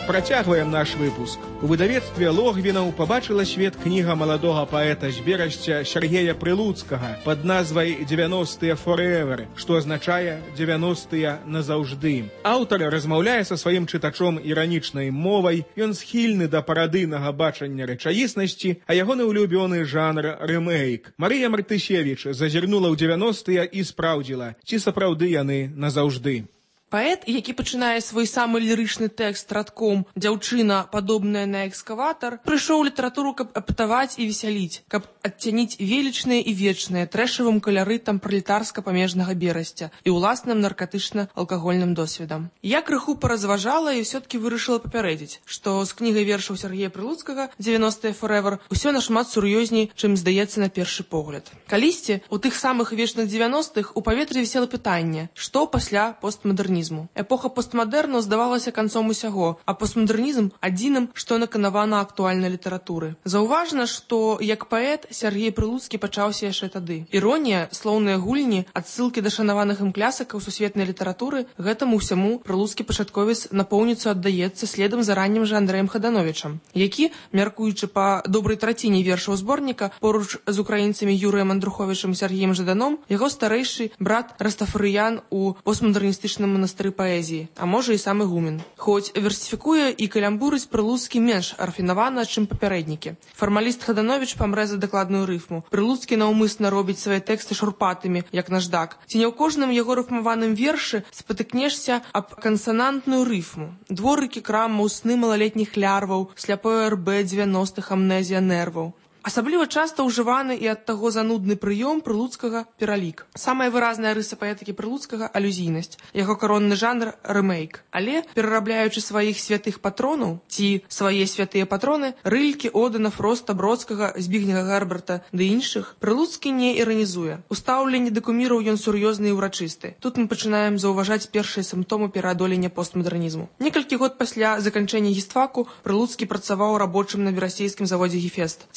Працягваем наш выпуск. У выдавецтве Логвінаў пабачыла свет кніга маладога паэта з Берасця Сергея Прылуцкага пад назвай «90-е forever», што азначае «90-е назаўжды». Аўтар размаўляе са сваім чытачом іранічнай мовай, ён схільны да парадыйнага бачання рэчаіснасці, а ягоны улюбёны жанр рэмейк. Марыя Мартысевіч зазірнула ў 90-е і спраўдзіла, ці сапраўды яны назаўжды. Паэт, які пачынае свой самы лірычны тэкст радком «Дзяўчына, падобная на экскаватар», прыйшоў у літаратуру, каб апытаваць і весяліць, каб адцяніць велічнае і вечнае трэшавым каларытам пралетарска-памежнага берасця і ўласным наркатычна-алкагольным досведам. Я крыху паразважала і ўсё-ткі вырашыла папярэдзіць, што з кнігай вершаў Сергея Прылуцкага «90-е forever» усё нашмат сур'ёзней, чым здаецца на першы погляд. Калісьці, у тых самых вечных 90-х у паветры вісела пытанне, што пасля постмадэрнізму. Эпоха постмадэрну здавалася канцом усяго, а постмадэрнізм адзіным, што наканавана актуальнай літаратуры. Заўважна, што як паэт Сергей Прылуцкі пачаўся яшчэ тады. Іронія, слоўныя гульні, адсылкі да шанаваных ім клясыкаў сусветнай літаратуры, гэтаму ўсяму прылуцкі пачатковец напоўніцу аддаецца следам за раннім жа Андрэем Хадановічам, які, мяркуючы па добрай траціне вершаў зборніка, поруч з украінцамі Юрыем Андруховічам і Сергеем Жаданом, яго старэйшы брат Растафарыян у постмадэрністычным манастыры паэзіі, а можа і сам ігумен. Хоць версіфікуе і калямбурыць Прылуцкі менш рафінавана, чым папярэднікі. Фармаліст Хадановіч памрэ за дакладную рыфму. Прылуцкі наўмысна робіць свае тэксты шурпатымі, як наждак. Ці не ў кожным яго рыфмаваным вершы спатыкнешся аб кансанантную рыфму. Дворыкі крамаў, сны малалетніх лярваў, сляпое РБ 90-х, амнезія нерваў. Асабліва часта ўжываны і ад таго занудны прыём Прылуцкага пералік. Самая выразная рыса паэтыкі Прылуцкага – алюзійнасць. Яго каронны жанр – рэмейк. Але, перарабляючы сваіх святых патронаў, ці свае святыя патроны, Рылькі, Одына, Фроста, Бродскага, Збігнега Герберта ды іншых, Прылуцкі не іранізуе. У стаўленні да куміраў ён сур'ёзны і ўрачысты. Тут мы пачынаем заўважаць першыя сімптомы пераадолення постмадэрнізму. Некалькі год пасля заканчэння гістфаку Прылуцкі працаваў рабочым на верасейскім заводзе «Гефест».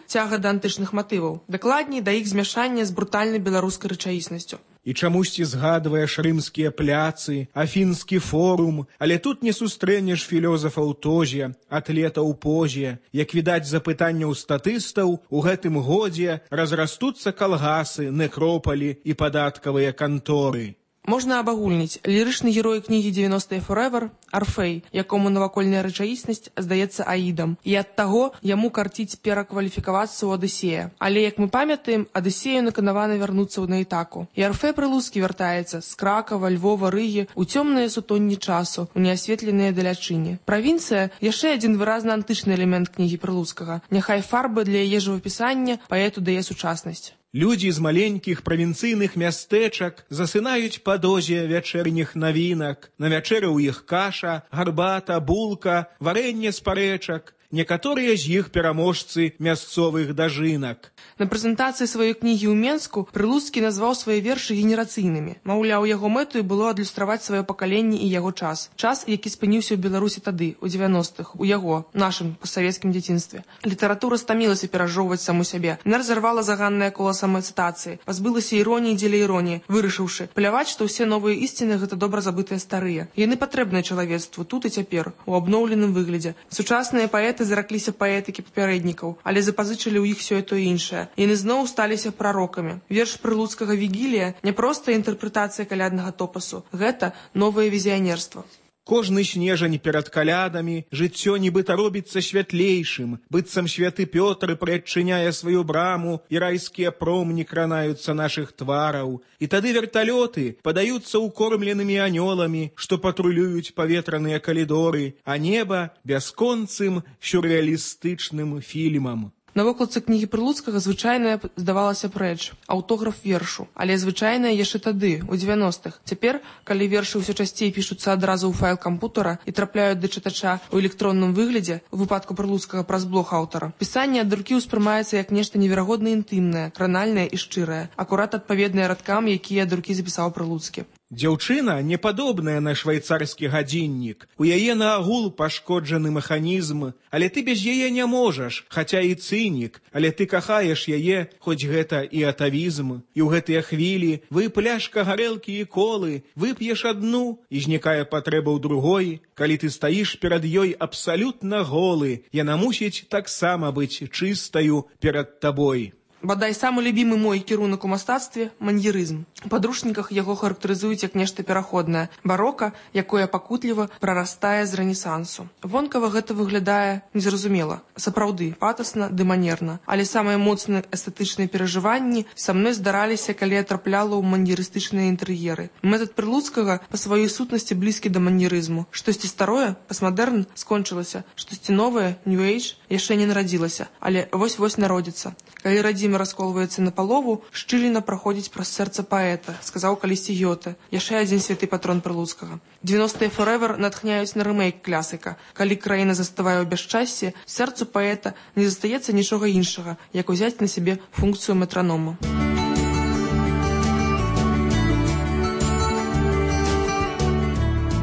Цяга да антычных матываў. Дакладней, да іх змяшання з брутальнай беларускай рэчаіснасцю. І чамусьці згадваеш рымскія пляцы, афінскі форум, але тут не сустрэнеш філёзафаў тозе, атлетаў позе. Як відаць з запытанняў статыстаў, у гэтым годзе разрастуцца калгасы, некропалі і падаткавыя канторы. Можна абагульніць. Лірычны герой кнігі «90-е forever» – Арфей, якому навакольная рэчаіснасць здаецца Аідам. І ад таго яму карціць перакваліфікавацца ў Адысея. Але, як мы памятаем, Адысею наканавана вярнуцца на Ітаку. І Арфей Прылуцкі вяртаецца з Кракава, Львова, Рыгі ў цёмныя сутонні часу, у неасветленыя далячыні. Правінцыя – яшчэ адзін выразна антычны элемент кнігі Прылуцкага. Няхай фарба для яе жывапісання паэту дае сучаснасць. Людзі з маленькіх правінцыйных мястэчак засынаюць па дозе вячэрніх навінак. На вячэры ў іх каша, гарбата, булка, варэнне з парэчак. Некаторыя з іх пераможцы мясцовых дажынак. На прэзентацыі сваёй кнігі ў Менску Прылуцкі назваў свае вершы генерацыйнымі. Маўляў, яго мэтаю было адлюстраваць сваё пакаленне і яго час. Час, які спыніўся ў Беларусі тады, у 90-х, у яго, нашым пастсавецкім дзяцінстве. Літаратура стамілася перажоўваць саму сябе. Яна разарвала заганнае кола самацытацыі, пазбылася іроніі дзеля іроніі, вырашыўшы пляваць, што ўсе новыя ісціны гэта добра забытыя старыя. Яны патрэбныя чалавецтву тут і цяпер, у абноўленым выглядзе. Сучасныя паэты заракліся паэтыкі папярэднікаў, але запазычылі ў іх сёе то іншае. Яны зноў сталіся прарокамі. Верш Прылуцкага «Вігілія» не проста інтэрпрэтацыя каляднага топасу. Гэта новае візіянерства. Кожны снежань перад калядамі жыццё нібыта робіцца святлейшым, быццам святы Пётр прыадчыняе сваю браму, і райскія промні кранаюцца нашых твараў. І тады верталёты падаюцца укормленымі анёламі, што патрулююць паветраныя калідоры, а неба бясконцым сюррэалістычным фільмам. На вокладцы кнігі Прылуцкага звычайная здавалася рэч, аўтограф вершу, але звычайная яшчэ тады, у 90-х. Цяпер, калі вершы ўсё часцей пішуцца адразу ў файл кампутара і трапляюць да чытача ў электронным выглядзе, у выпадку Прылуцкага праз блог аўтара, пісанне ад рукі ўспрымаецца як нешта неверагодна інтымнае, кранальнае і шчырае, акурат адпаведнае радкам, якія ад рукі запісаў Прылуцкі. Дзяўчына не падобная на швайцарскі гадзіннік. У яе наагул пашкоджаны механізм, але ты без яе не можаш, хаця і цынік, але ты кахаеш яе, хоць гэта і атавізм. І ў гэтыя хвілі вы пляшка гарэлкі і колы, вып'еш адну, і знікае патрэба ў другой. Калі ты стаіш перад ёй абсалютна голы, яна мусіць таксама быць чыстаю перад табой. Бадай самы любімы мой кірунак у мастацтве – маньерызм. У падручніках яго характарызуюць як нешта пераходнае. Барока, якое пакутліва прарастае з рэнесансу. Вонкава гэта выглядае незразумела. Сапраўды, патасна ды манерна. Але самыя моцныя эстэтычныя перажыванні са мной здараліся, калі я трапляла ў маньерыстычныя інтэр'еры. Метад Прылуцкага па сваёй сутнасці блізкі да маньерызму. Штосьці старое, пасмадэрн, скончылася. Штосьці новае, New Age, яшчэ не нарадзілася. Але вось-вось народзіцца. Калі радзіма расколваецца на палову, шчыліна праходзіць праз сэрца паэта, сказаў калісьці Гёте, яшчэ адзін святы патрон Прылуцкага. 90-е Forever натхняюць на рэмейк класіка. Калі краіна заставае ў бясчасці, сэрцу паэта не застаецца нічога іншага, як узяць на сябе функцыю метранома.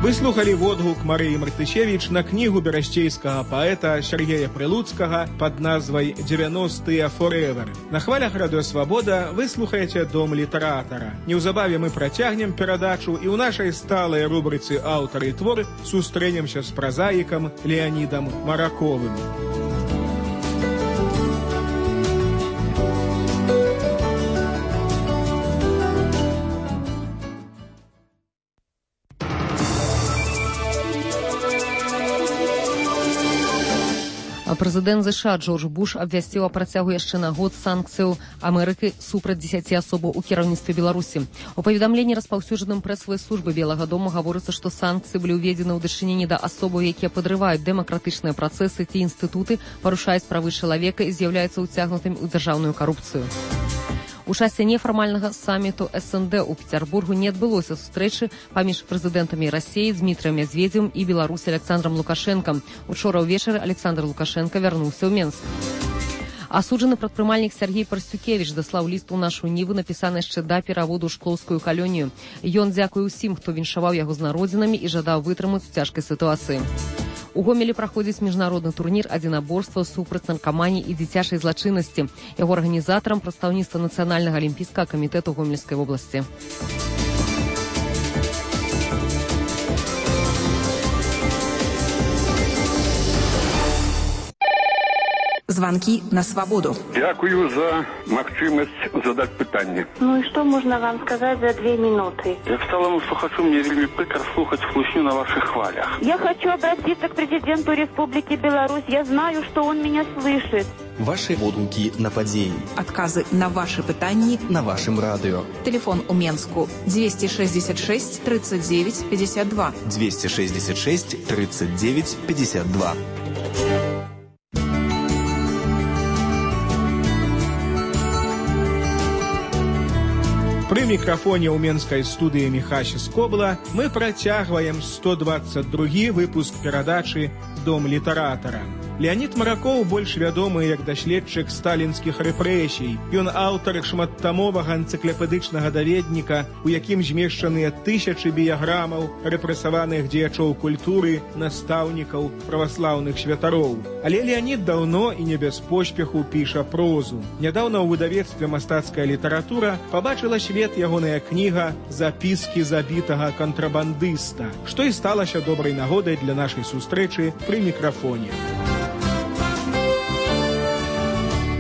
Вы слухали водгук Марыі Мартышевіч на кнігу берасцейскага паэта Сергея Прылуцкага пад назвай «90-е Forever». На хвалях Радыё Свабода вы слухаеце «Дом літаратара». Неўзабаве мы працягнем перадачу і ў нашай сталай рубрыцы «Аўтар і твор» сустрэнемся з празаікам Леанідам Мараковым. Прэзідэнт ЗША Джордж Буш абвясціў о працягу яшчэ на год санкцыяў Амерыкі супраць 10 асобаў у кіраўніцтве Беларусі. У паведамленні распаўсюджаным прэсавай службы Белага дома гаворыцца, што санкцыі былі ўведзены ў дачыненні да асобаў, якія падрываюць дэмакратычныя працэсы ці інстытуты, парушаюць правы чалавека і з'яўляюцца ўцягнутымі ў дзяржаўную карупцыю. У часе нефармальнага саміту СНД у Петербургу не адбылося сустрэчы паміж прэзідэнтамі Расіі Дмітрыем Мядзведзевым і Беларусі Александром Лукашенком. Учора ўвечары Александр Лукашенко вярнуўся ў Менск. Асуджаны прадпрымальнік Сергей Парсюкевіч даслаў ліст у нашу ніву, напісаны яшчэ да пераводу ў шклоўскую калонію. Ён дзякуе ўсім, хто віншаваў яго з народзінамі і жадаў вытрымаць у цяжкай сітуацыі. У Гомелі праходзіць міжнародны турнір адзінаборства супраць наркаманіі і дзіцячай злачыннасці. Яго арганізатарам прадстаўніцтва Нацыянальнага алімпійскага камітэту Гомельскай вобласці. Звонки на свободу. Дякую за магчымасць задаць пытанне. Ну и что можно вам сказать за 2 минуты? Як сталому слухачу, мне вельмі прыкра слухаць хлусню на ваших хвалях. Я хочу обратиться к президенту Республики Беларусь. Я знаю, что он меня слышит. Ваши водгуки на падзеі. Отказы на ваши пытанні на вашем радио. Телефон у Менску 266 39 52. 266 39 52. Пры мікрафоне ў менскай студыі Міхася Скобла мы працягваем 122 выпуск перадачы «Дом літаратара». Леанід Маракоў больш вядомы як даследчык сталінскіх рэпрэсій. Ён аўтар шматтамовага энцыклапедычнага даведніка, у якім змешчаныя тысячы біяграмаў рэпрэсаваных дзеячоў культуры, настаўнікаў, праваслаўных святароў. Але Леанід даўно і не без поспеху піша прозу. Нядаўна ў выдавецтве «Мастацкая літаратура» пабачыла свет ягоная кніга «Запіскі забітага кантрабандыста», што і сталася добрай нагодай для нашай сустрэчы пры мікрафоне.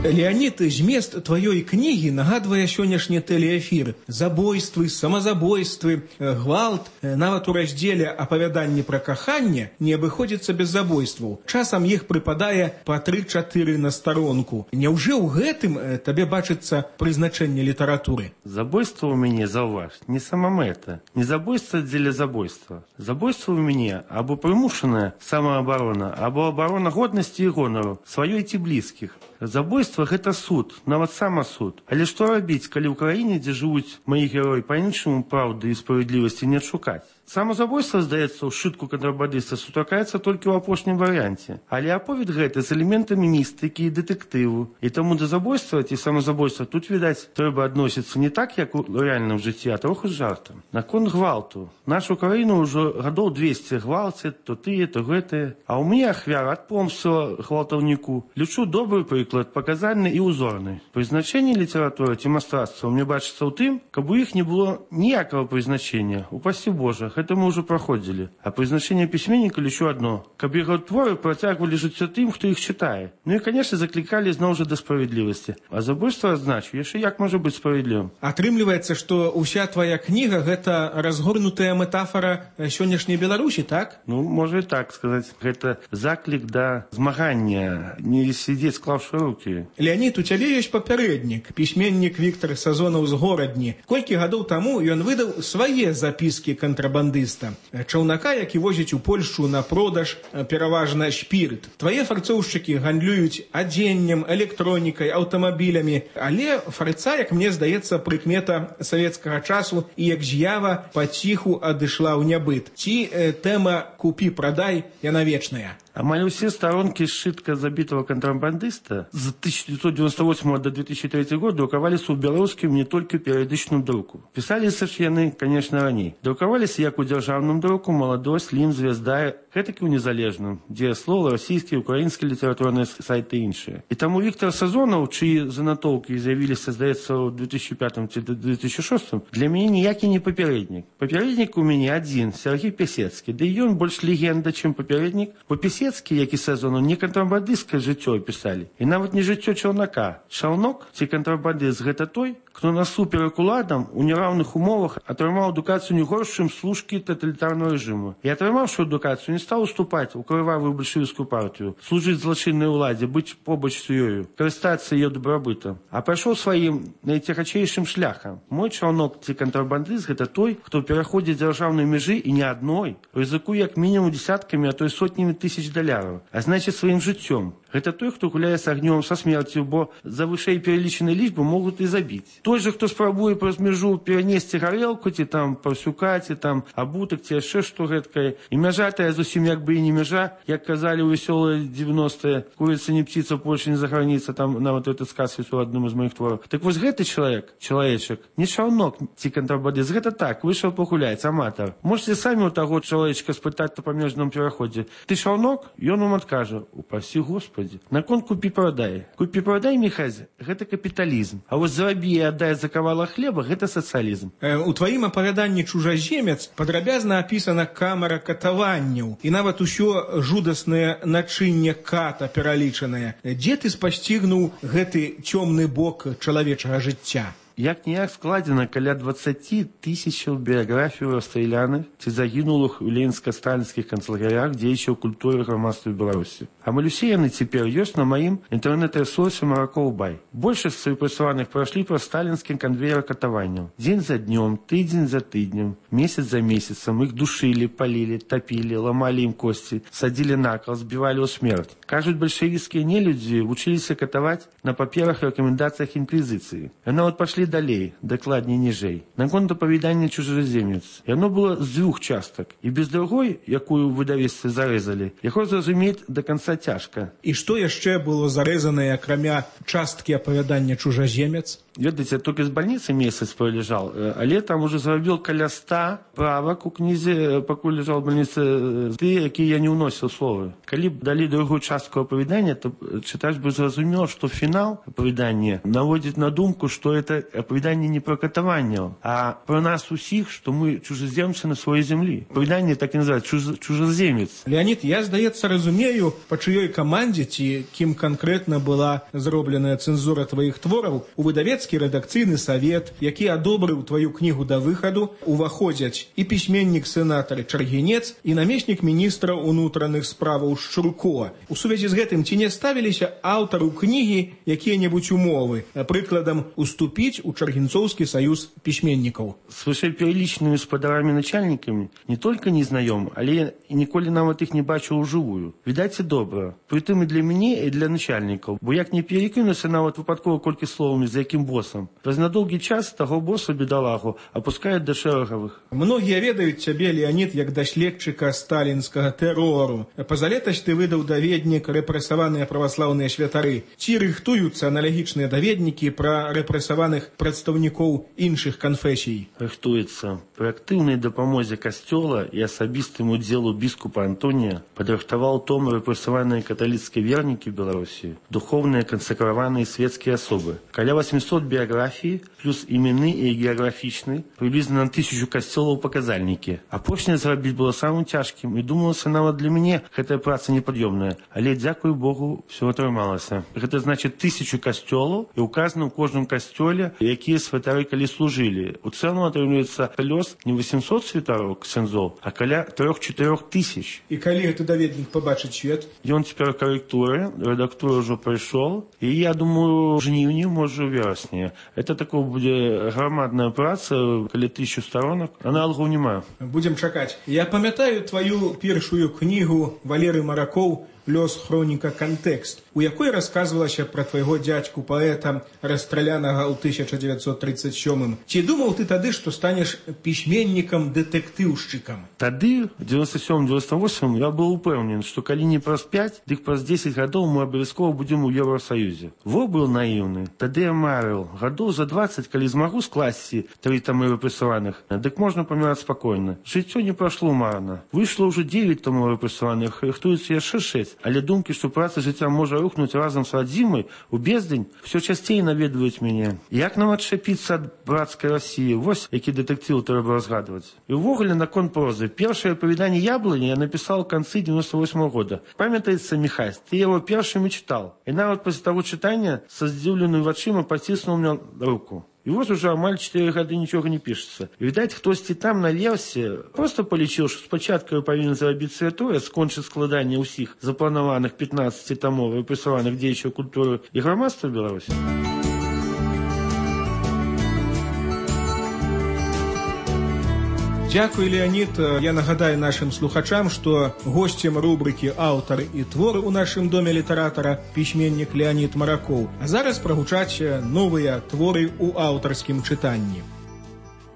Леанід, змест тваёй кнігі нагадвае сённяшні тэлеэфір. Забойствы, самазабойствы, гвалт. Нават у раздзеле «Апавяданні пра каханне» не абыходзіцца без забойстваў. Часам іх прыпадае па 3-4 на старонку. Няўжо ў гэтым табе бачыцца прызначэнне літаратуры? Забойство у мяне, заўваж, не самамэта, не забойство дзеля забойства. Забойство у мяне або прымушаная самаабарона, або абарона годнасці і гонару сваёй ці блізкіх. Забойство – гэта суд, нават самасуд. Але што рабіць, калі ў краіне, дзе жывуць маі героі, па-іншаму праўды і справядлівасці не адшукаць? Самазабойства, здаецца, ў сшытку кантрабандыста сустракаецца толькі ў апошнім варыянце. Але аповед гэты з элементамі містыкі і дэтэктыву. І таму да забойства ці самазабойства тут, відаць, трэба адносіцца не так, як у рэальным жыцці, а троху з жартам. Наконт гвалту. Нашу краіну ўжо гадоў 200 гвалцяць, то тыя, то гэтыя. А ў мяне ахвяра ад помсціла гвалтаўніку. Лічу добры прыклад, паказальны і ўзорны. Прызначэнне літаратуры ці мастацтва мне бачыцца ў тым, каб у іх не было ніякага прызначення, упасі Божа. творах, это мы уже проходили. А призначение письменника лишь одно. Каб его творы протягивали жыццё тем, кто их читает. Ну и, конечно, закликали зноў жа до справедливости. А забойство, адзначу, яшчэ як можа быть справедливым? Атрымліваецца, што ўся твоя кніга – гэта разгорнутая метафора сённяшняй Беларусі, так? Ну, можа і так сказаць. Гэта заклік да змагання, не сидзець склаўшы рукі. Леонид, у цябе ёсць папярэднік, пісьменнік Віктор Сазонаў з Горадні. Колькі гадоў таму ён выдаў свае запіскі кантрабандыста. Чаўнака, які возіць у Польшчу на продаж пераважна шпірт. Твае фарцоўшчыкі гандлююць адзеннем, электронікай, аўтамабілямі. Але фарца, як мне здаецца, прыкмета савецкага часу і як з'ява паціху адышла ў нябыт. Ці тэма «купі-прадай» яна вечная? Амаль усе сторонки сшитка забитого контрабандиста з 1998 до 2003 года друкаваліся ў беларускім не толькі перыядычным друку. Пісаліся ж яны, конечно, раней. Друкаваліся як у дзяржаўным друку, «Маладосць», «Лім», «Звезда», гэтак і ў незалежным, дзе слова, расійскія, украінскія літаратурныя сайты і іншыя. І таму Віктор Сазонаў, чыі занатоўкі з'явіліся, здаецца, ў 2005 ці 2006, для мяне ніякі не папярэднік. Папярэднік у мяне адзін, Сергей Пісецкі, ды і ён больш легенда, чым папярэднік, бо Пісецкі, як і Сазонаў, не кантрабандысцкае жыццё пісалі. І нават не жыццё чаўнака. Чаўнок ці кантрабандыст – гэта той, хто насуперак уладам у нераўных умовах атрымаў адукацыю не горш, чым служкі таталітарнага рэжыму. І атрымаўшы адукацыю, не стаў уступаць у крывавую бальшавіцкую партыю, служыць злачыннай уладзе, быць побач з ёю, карыстацца яе добрабытам, а пайшоў сваім найцягачэйшым шляхам. Мой чаўнок ці кантрабандыст – гэта той, хто пераходзіць дзяржаўнай мяжы і не адной, рызыкуе як мінімум дзесяткамі, а то і сотнямі тысяч даляраў, а значыць сваім жыццём. Гэта той, хто гуляе з агнём, са смерцю, бо за вышэй пералічанай лічбы могуць і забіць. Той же, хто спрабуе праз мяжу перанесці гарэлку, ці там паўсюка, ці там абутак, ці яшчэ што гэткае. І мяжа тая зусім як бы і не мяжа, як казалі ў весёлыя 90-е, курица не птица, Польша не за граница, там нават этот сказ ёсць у адным з моих твораў. Так вось гэты чалавечак, не чаўнок ці кантрабандыст, гэта так, выйшаў пагуляць, аматар. Можете самі у таго чалавечка спытаць на памежным пераходзе: ты чаўнок? Ён вам адкажа: упасі Господи. Наконт купі-прадай. Купі-прадай, Міхась, гэта капіталізм. А вось зарабі і аддай за кавала хлеба – гэта сацыялізм. У тваім апавяданні «Чужаземец» падрабязна апісана камера катаванняў і нават усё жудаснае начынне ката пералічанае. Дзе ты спасцігнуў гэты цёмны бок чалавечага жыцця? Як-ніяк складзена каля 20 тысячаў біяграфій расстраляных ці загінулых у ленінска-сталінскіх канцлагерях дзеячаў культуры грамадства Беларусі. Амаль усе яны цяпер ёсць на маім інтэрнэт-рэсурсе «Маракоў-Бай». Большасць з рэпрэсаваных прайшлі праз сталінскім канвеер катаванняў. Дзень за днём, тыдзень за тыднем, месяц за месяцам іх душылі, палілі, тапілі, ламалі ім косці, садзілі накал, збівалі ў смерць. Кажуць, бальшавіцкія нелюдзі вучыліся катаваць на паперах і рэкамендацыях інквізіцыі. Нават пашлі далей, дакладней ніжэй. Наконт апавядання «Чужаземец». Яно было з двух частак. І без другой, якую ў выдавецтве зарэзалі, яго зразумець да канца цяжка. І што яшчэ было зарэзанае, акрамя часткі апавядання «Чужаземец»? Ведаеце, толькі з бальніцы месяц пролежал, але там уже зрабіў каля 100 правак у кнізе, пакуль ляжаў в бальніцы, ты, якія я не ўносіў словы. Калі б далі другую частку апавядання, то чытач бы зразумеў, што фінал апавядання наводзіць на думку, што это апавяданне не пра катаванняў, а пра нас усіх, што мы чужаземцы на сваёй зямлі. Апавяданне так і называецца «Чужаземец». Леонид, я, здаецца, разумею, па чыёй камандзе ці кім канкрэтна была зробленая цэнзура тваіх твораў. У выдавецтве рэдакцыйны савет, які адобрыў тваю кнігу да выхаду, уваходзяць і пісьменнік-сенатар Чаргінец, і намеснік міністра ўнутраных справаў Шчурко. У сувязі з гэтым ці не ставіліся аўтару кнігі якія-небудзь умовы, прыкладам, уступіць у Чаргінцоўскі саюз пісьменнікаў? С вышэйпералічанымі спадарамі-начальнікамі не толькі не знаём, але і ніколі нават іх не бачыў ужывую. Відаць, і добра. Прытым і для мяне, і для начальнікаў, бо як не перекінуся нават выпадкова колькі словамі, за якім босам. Праз надоўгі час таго боса, бедалагу, апускаюць да шэрагавых. Многія ведаюць цябе, Леонид, як даследчыка сталінскага тэрору. Пазалетась ты выдаў даведнік «Рэпрэсаваныя праваслаўныя святары». Ці рыхтуюцца аналагічныя даведнікі пра рэпрэсаваных прадстаўнікоў іншых канфесій? Рыхтуецца. Пры актыўнай дапамозе касцёла і асабістым удзелу біскупа Антонія падрыхтаваў том «Рэпрэсаваныя каталіцкія вернікі Беларусі», духоўныя кансакраваныя светскія асобы. Каля 800 год биографии, плюс именный и географичный, приблизно на 1000 костелов показальники. Апошняе зрабіць было самым тяжким, и думалася нават для мяне гэтая праца непадъемная. Але, дзякуй Богу, все атрымалася. Гэта значит 1000 костелов, и указано в каждом костеле, якія святары калі служили. У целом атрымліваецца лёс не 800 святаров ксяндзоў, а каля 3-4 тысяч. И калі гэты даведнік побачыць свет? Ён цяпер корректуры, редактура уже пришел, и я думаю, жніўні, может, у верасні. Это такое будет громадная праца, каля 1000 сторонок, аналогов нема. Будем чакаць. Я памятаю твою першую книгу Валерый Маракоў «Лёс хроніка кантэкст», у якой рассказывалася про твайго дядьку паэта, расстралянага ў 1937. Ці думаў ты тады, што станеш пісьменнікам-дэтэктыўшчыкам? Тады, в 97-98, я был упэўнен, што калі не праз 5, дык праз 10 гадоў мы абавязкова будзем у Еўрасаюзе. Во быў наіўны. Тады я марыў. Гадоў за 20, калі змагу скласці 3 тамы выпрацаваных, дык можна паміраць спакойна. Жыццё не прашло марна. Выйшло ўжо 9 тамоў выпрацаваных, рыхтуецца яшчэ 6. Але думкі, што праца жыцця можа рухнуць разам з радзімай у бездзень, все часцей наведваюць мяне. Як нам адчапіцца ад брацкай Расіі? Вось які дэтэктыў трэба разгадваць. І ўвогуле наконт прозы. Першае апавяданне «Яблоні» я напісаў у канцы 98 года. Памятаецца, Міхась, ты яго першым і чытаў. І нават пасля таго чытання са здзіўленымі вачыма паціснуў мне руку. И вот уже амаль 4 года ничего не пишется. Видать, хтосьці там наверсе просто полічыў, што спачатку павінен зрабіць святое, скончыць складанне ўсіх запланаваных 15 томов выпрацаваных дзеячаў культуры і грамадства Беларусі. Дякую, Леонид. Я нагадаю нашим слухачам, что гостем рубрики «Аўтар і твор» у нашым доме літаратара пісьменнік Леонид Маракоў. А зараз прагучаць новыя творы ў аўтарскім чытанні.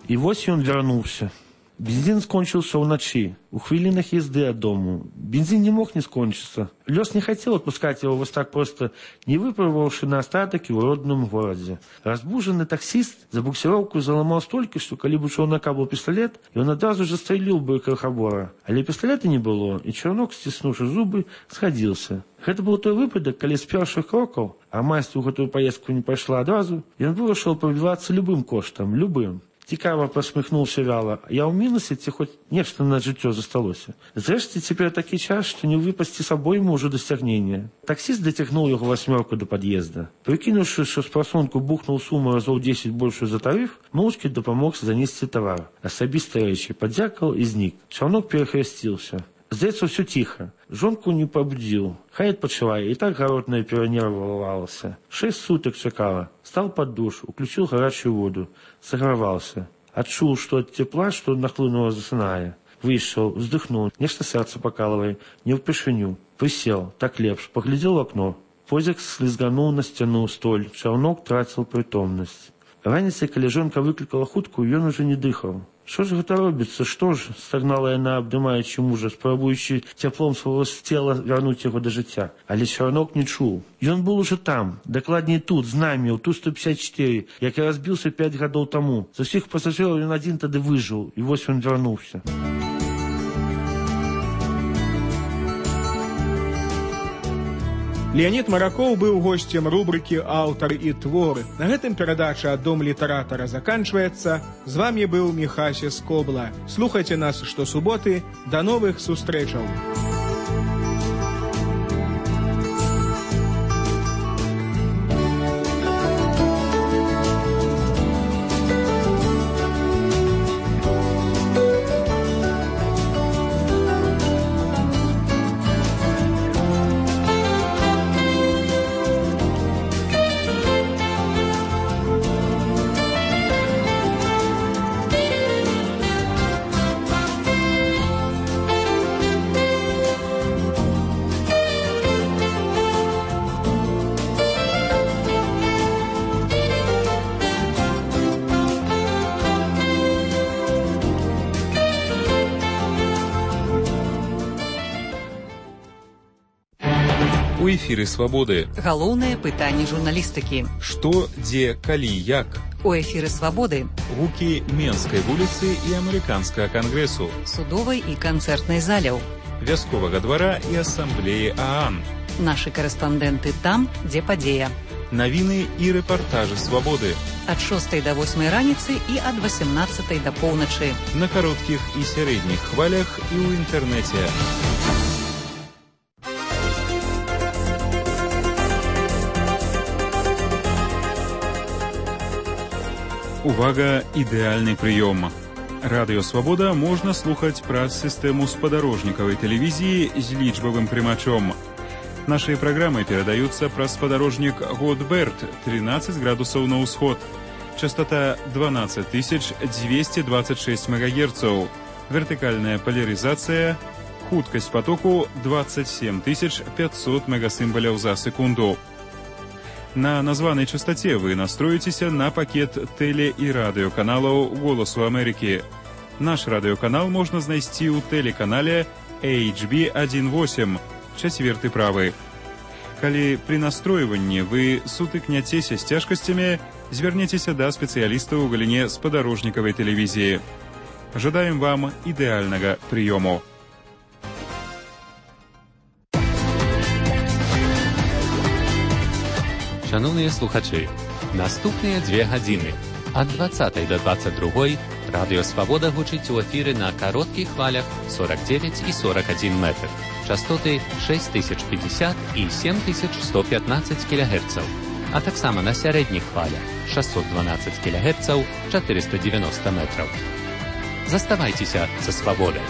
І вось ён вярнуўся. Бензин скончился ўначы, у хвілінах езды ад дому. Бензин не мог не скончиться. Лёс не хотел отпускать его вот так просто, не выпробовавши на остаток его родном городе. Разбуженный таксист за буксировку заломал столько, что коли бы у челнока был пистолет, и он одразу же стрелил бы крохобора. Але пистолета не было, и челнок, стиснувши зубы, сходился. Гэта был той выпадок, калі з першых крокаў, а майстер у гэтую поездку не пайшла адразу, ён вырашыў пробівацца любым коштам, любым. Цікава посміхнуўся вяла. Я ў мінусе, ці хоць нешта на жыццё засталося. Зрэшце, цяпер такі час, што не выпасці з абойму ўжо дасягнення. Таксіст дацягнуў яго 8 да пад'езда. Прыкінуўшы, што з прасунку бухнуў суму разоў 10 большую за тарыф, моўчкі дапамог занесці тавар. Асабістыя рэчы падзякаў і знік. Чаўнок перахрысціўся. Здаецца, ўсё ціха. Жонку не пабудзіў. Хай адпачывае, і так гаротная перанервавалася. 6 сутак чакала. Стаў пад душ, уключыў гарачую воду. Саграваўся. Адчуў, што ад цепла, што нахлынула, засынае. Выйшаў, уздыхнуў, нешта сэрца пакалывае, не ўпершыню. Прысеў, так лепш, паглядзеў у акно. Позяк слізгануў на сцяну столь, чаўнок траціў прытомнасць. Раніцай, калі жонка выклікала хуткую, ён ужо не дыхаў. Што ж гэта робіцца? Што ж? Стагнала яна, абдымаючы мужа, спрабуючы цяплом свайго цела вярнуць яго да жыцця. Але чарнок не чуў. Ён быў ужо там, дакладней тут, з намі, у Ту-154, як і разбіўся 5 гадоў таму. З усіх пасажыраў ён адзін тады выжыў, і вось ён вярнуўся. Леонид Маракоў быў гостем рубрики «Аўтар і твор». На гэтым перадача «Дом літаратара» заканчваецца. З вами быў Міхася Скобла. Слухайце нас штосуботы. До новых сустрэчаў. У эфіры «Свабоды». Галоўнае пытанне журналістыкі. Што, дзе, калі, як? У эфіры «Свабоды». Гукі Менскай вуліцы і Амерыканскага кангрэсу. Судовай і канцэртнай заляў. Вясковага двара і асамблеі ААН. Нашы карэспандэнты там, дзе падзея. Навіны і рэпартажы свабоды. Ад 6 до 8 раніцы і ад 18 до поўначы. На кароткіх і сярэдніх хвалях і ў інтэрнэце. Увага, ідэальны прыём. Радыё Свабода можна слухаць праз сістэму спадарожнікавай тэлевізіі з лічбавым прымачом. Нашыя праграмы перадаюцца праз спадарожнік Годберт 13 градусаў на ўсход. Частота 12226 МГц. Вертыкальная поляризацыя. Хуткасць потоку 27500 мегасімбаляў за секунду. На названай частоце вы настроіцеся на пакет тэле- і радыёканалаў «Голасу Амерыкі». Наш радыёканал можна знайсці ў тэлеканале HB18, 4 правы. Калі пры настройванні вы сутыкняцеся з цяжкасцямі, звярніцеся да спецыялістаў у галіне спадарожнікавай тэлевізіі. Жадаем вам ідэальнага прыёму. Шановні слухачі, наступныя 2 гадзіны ад 20 до 22 Радыё Свабода гучыць у эфіры на кароткіх хвалях 49 і 41 метр, частоты 6050 і 7115 кГц, а таксама на сярэдніх хвалях 612 кГц, 490 метраў. Заставайцеся са Свабодай.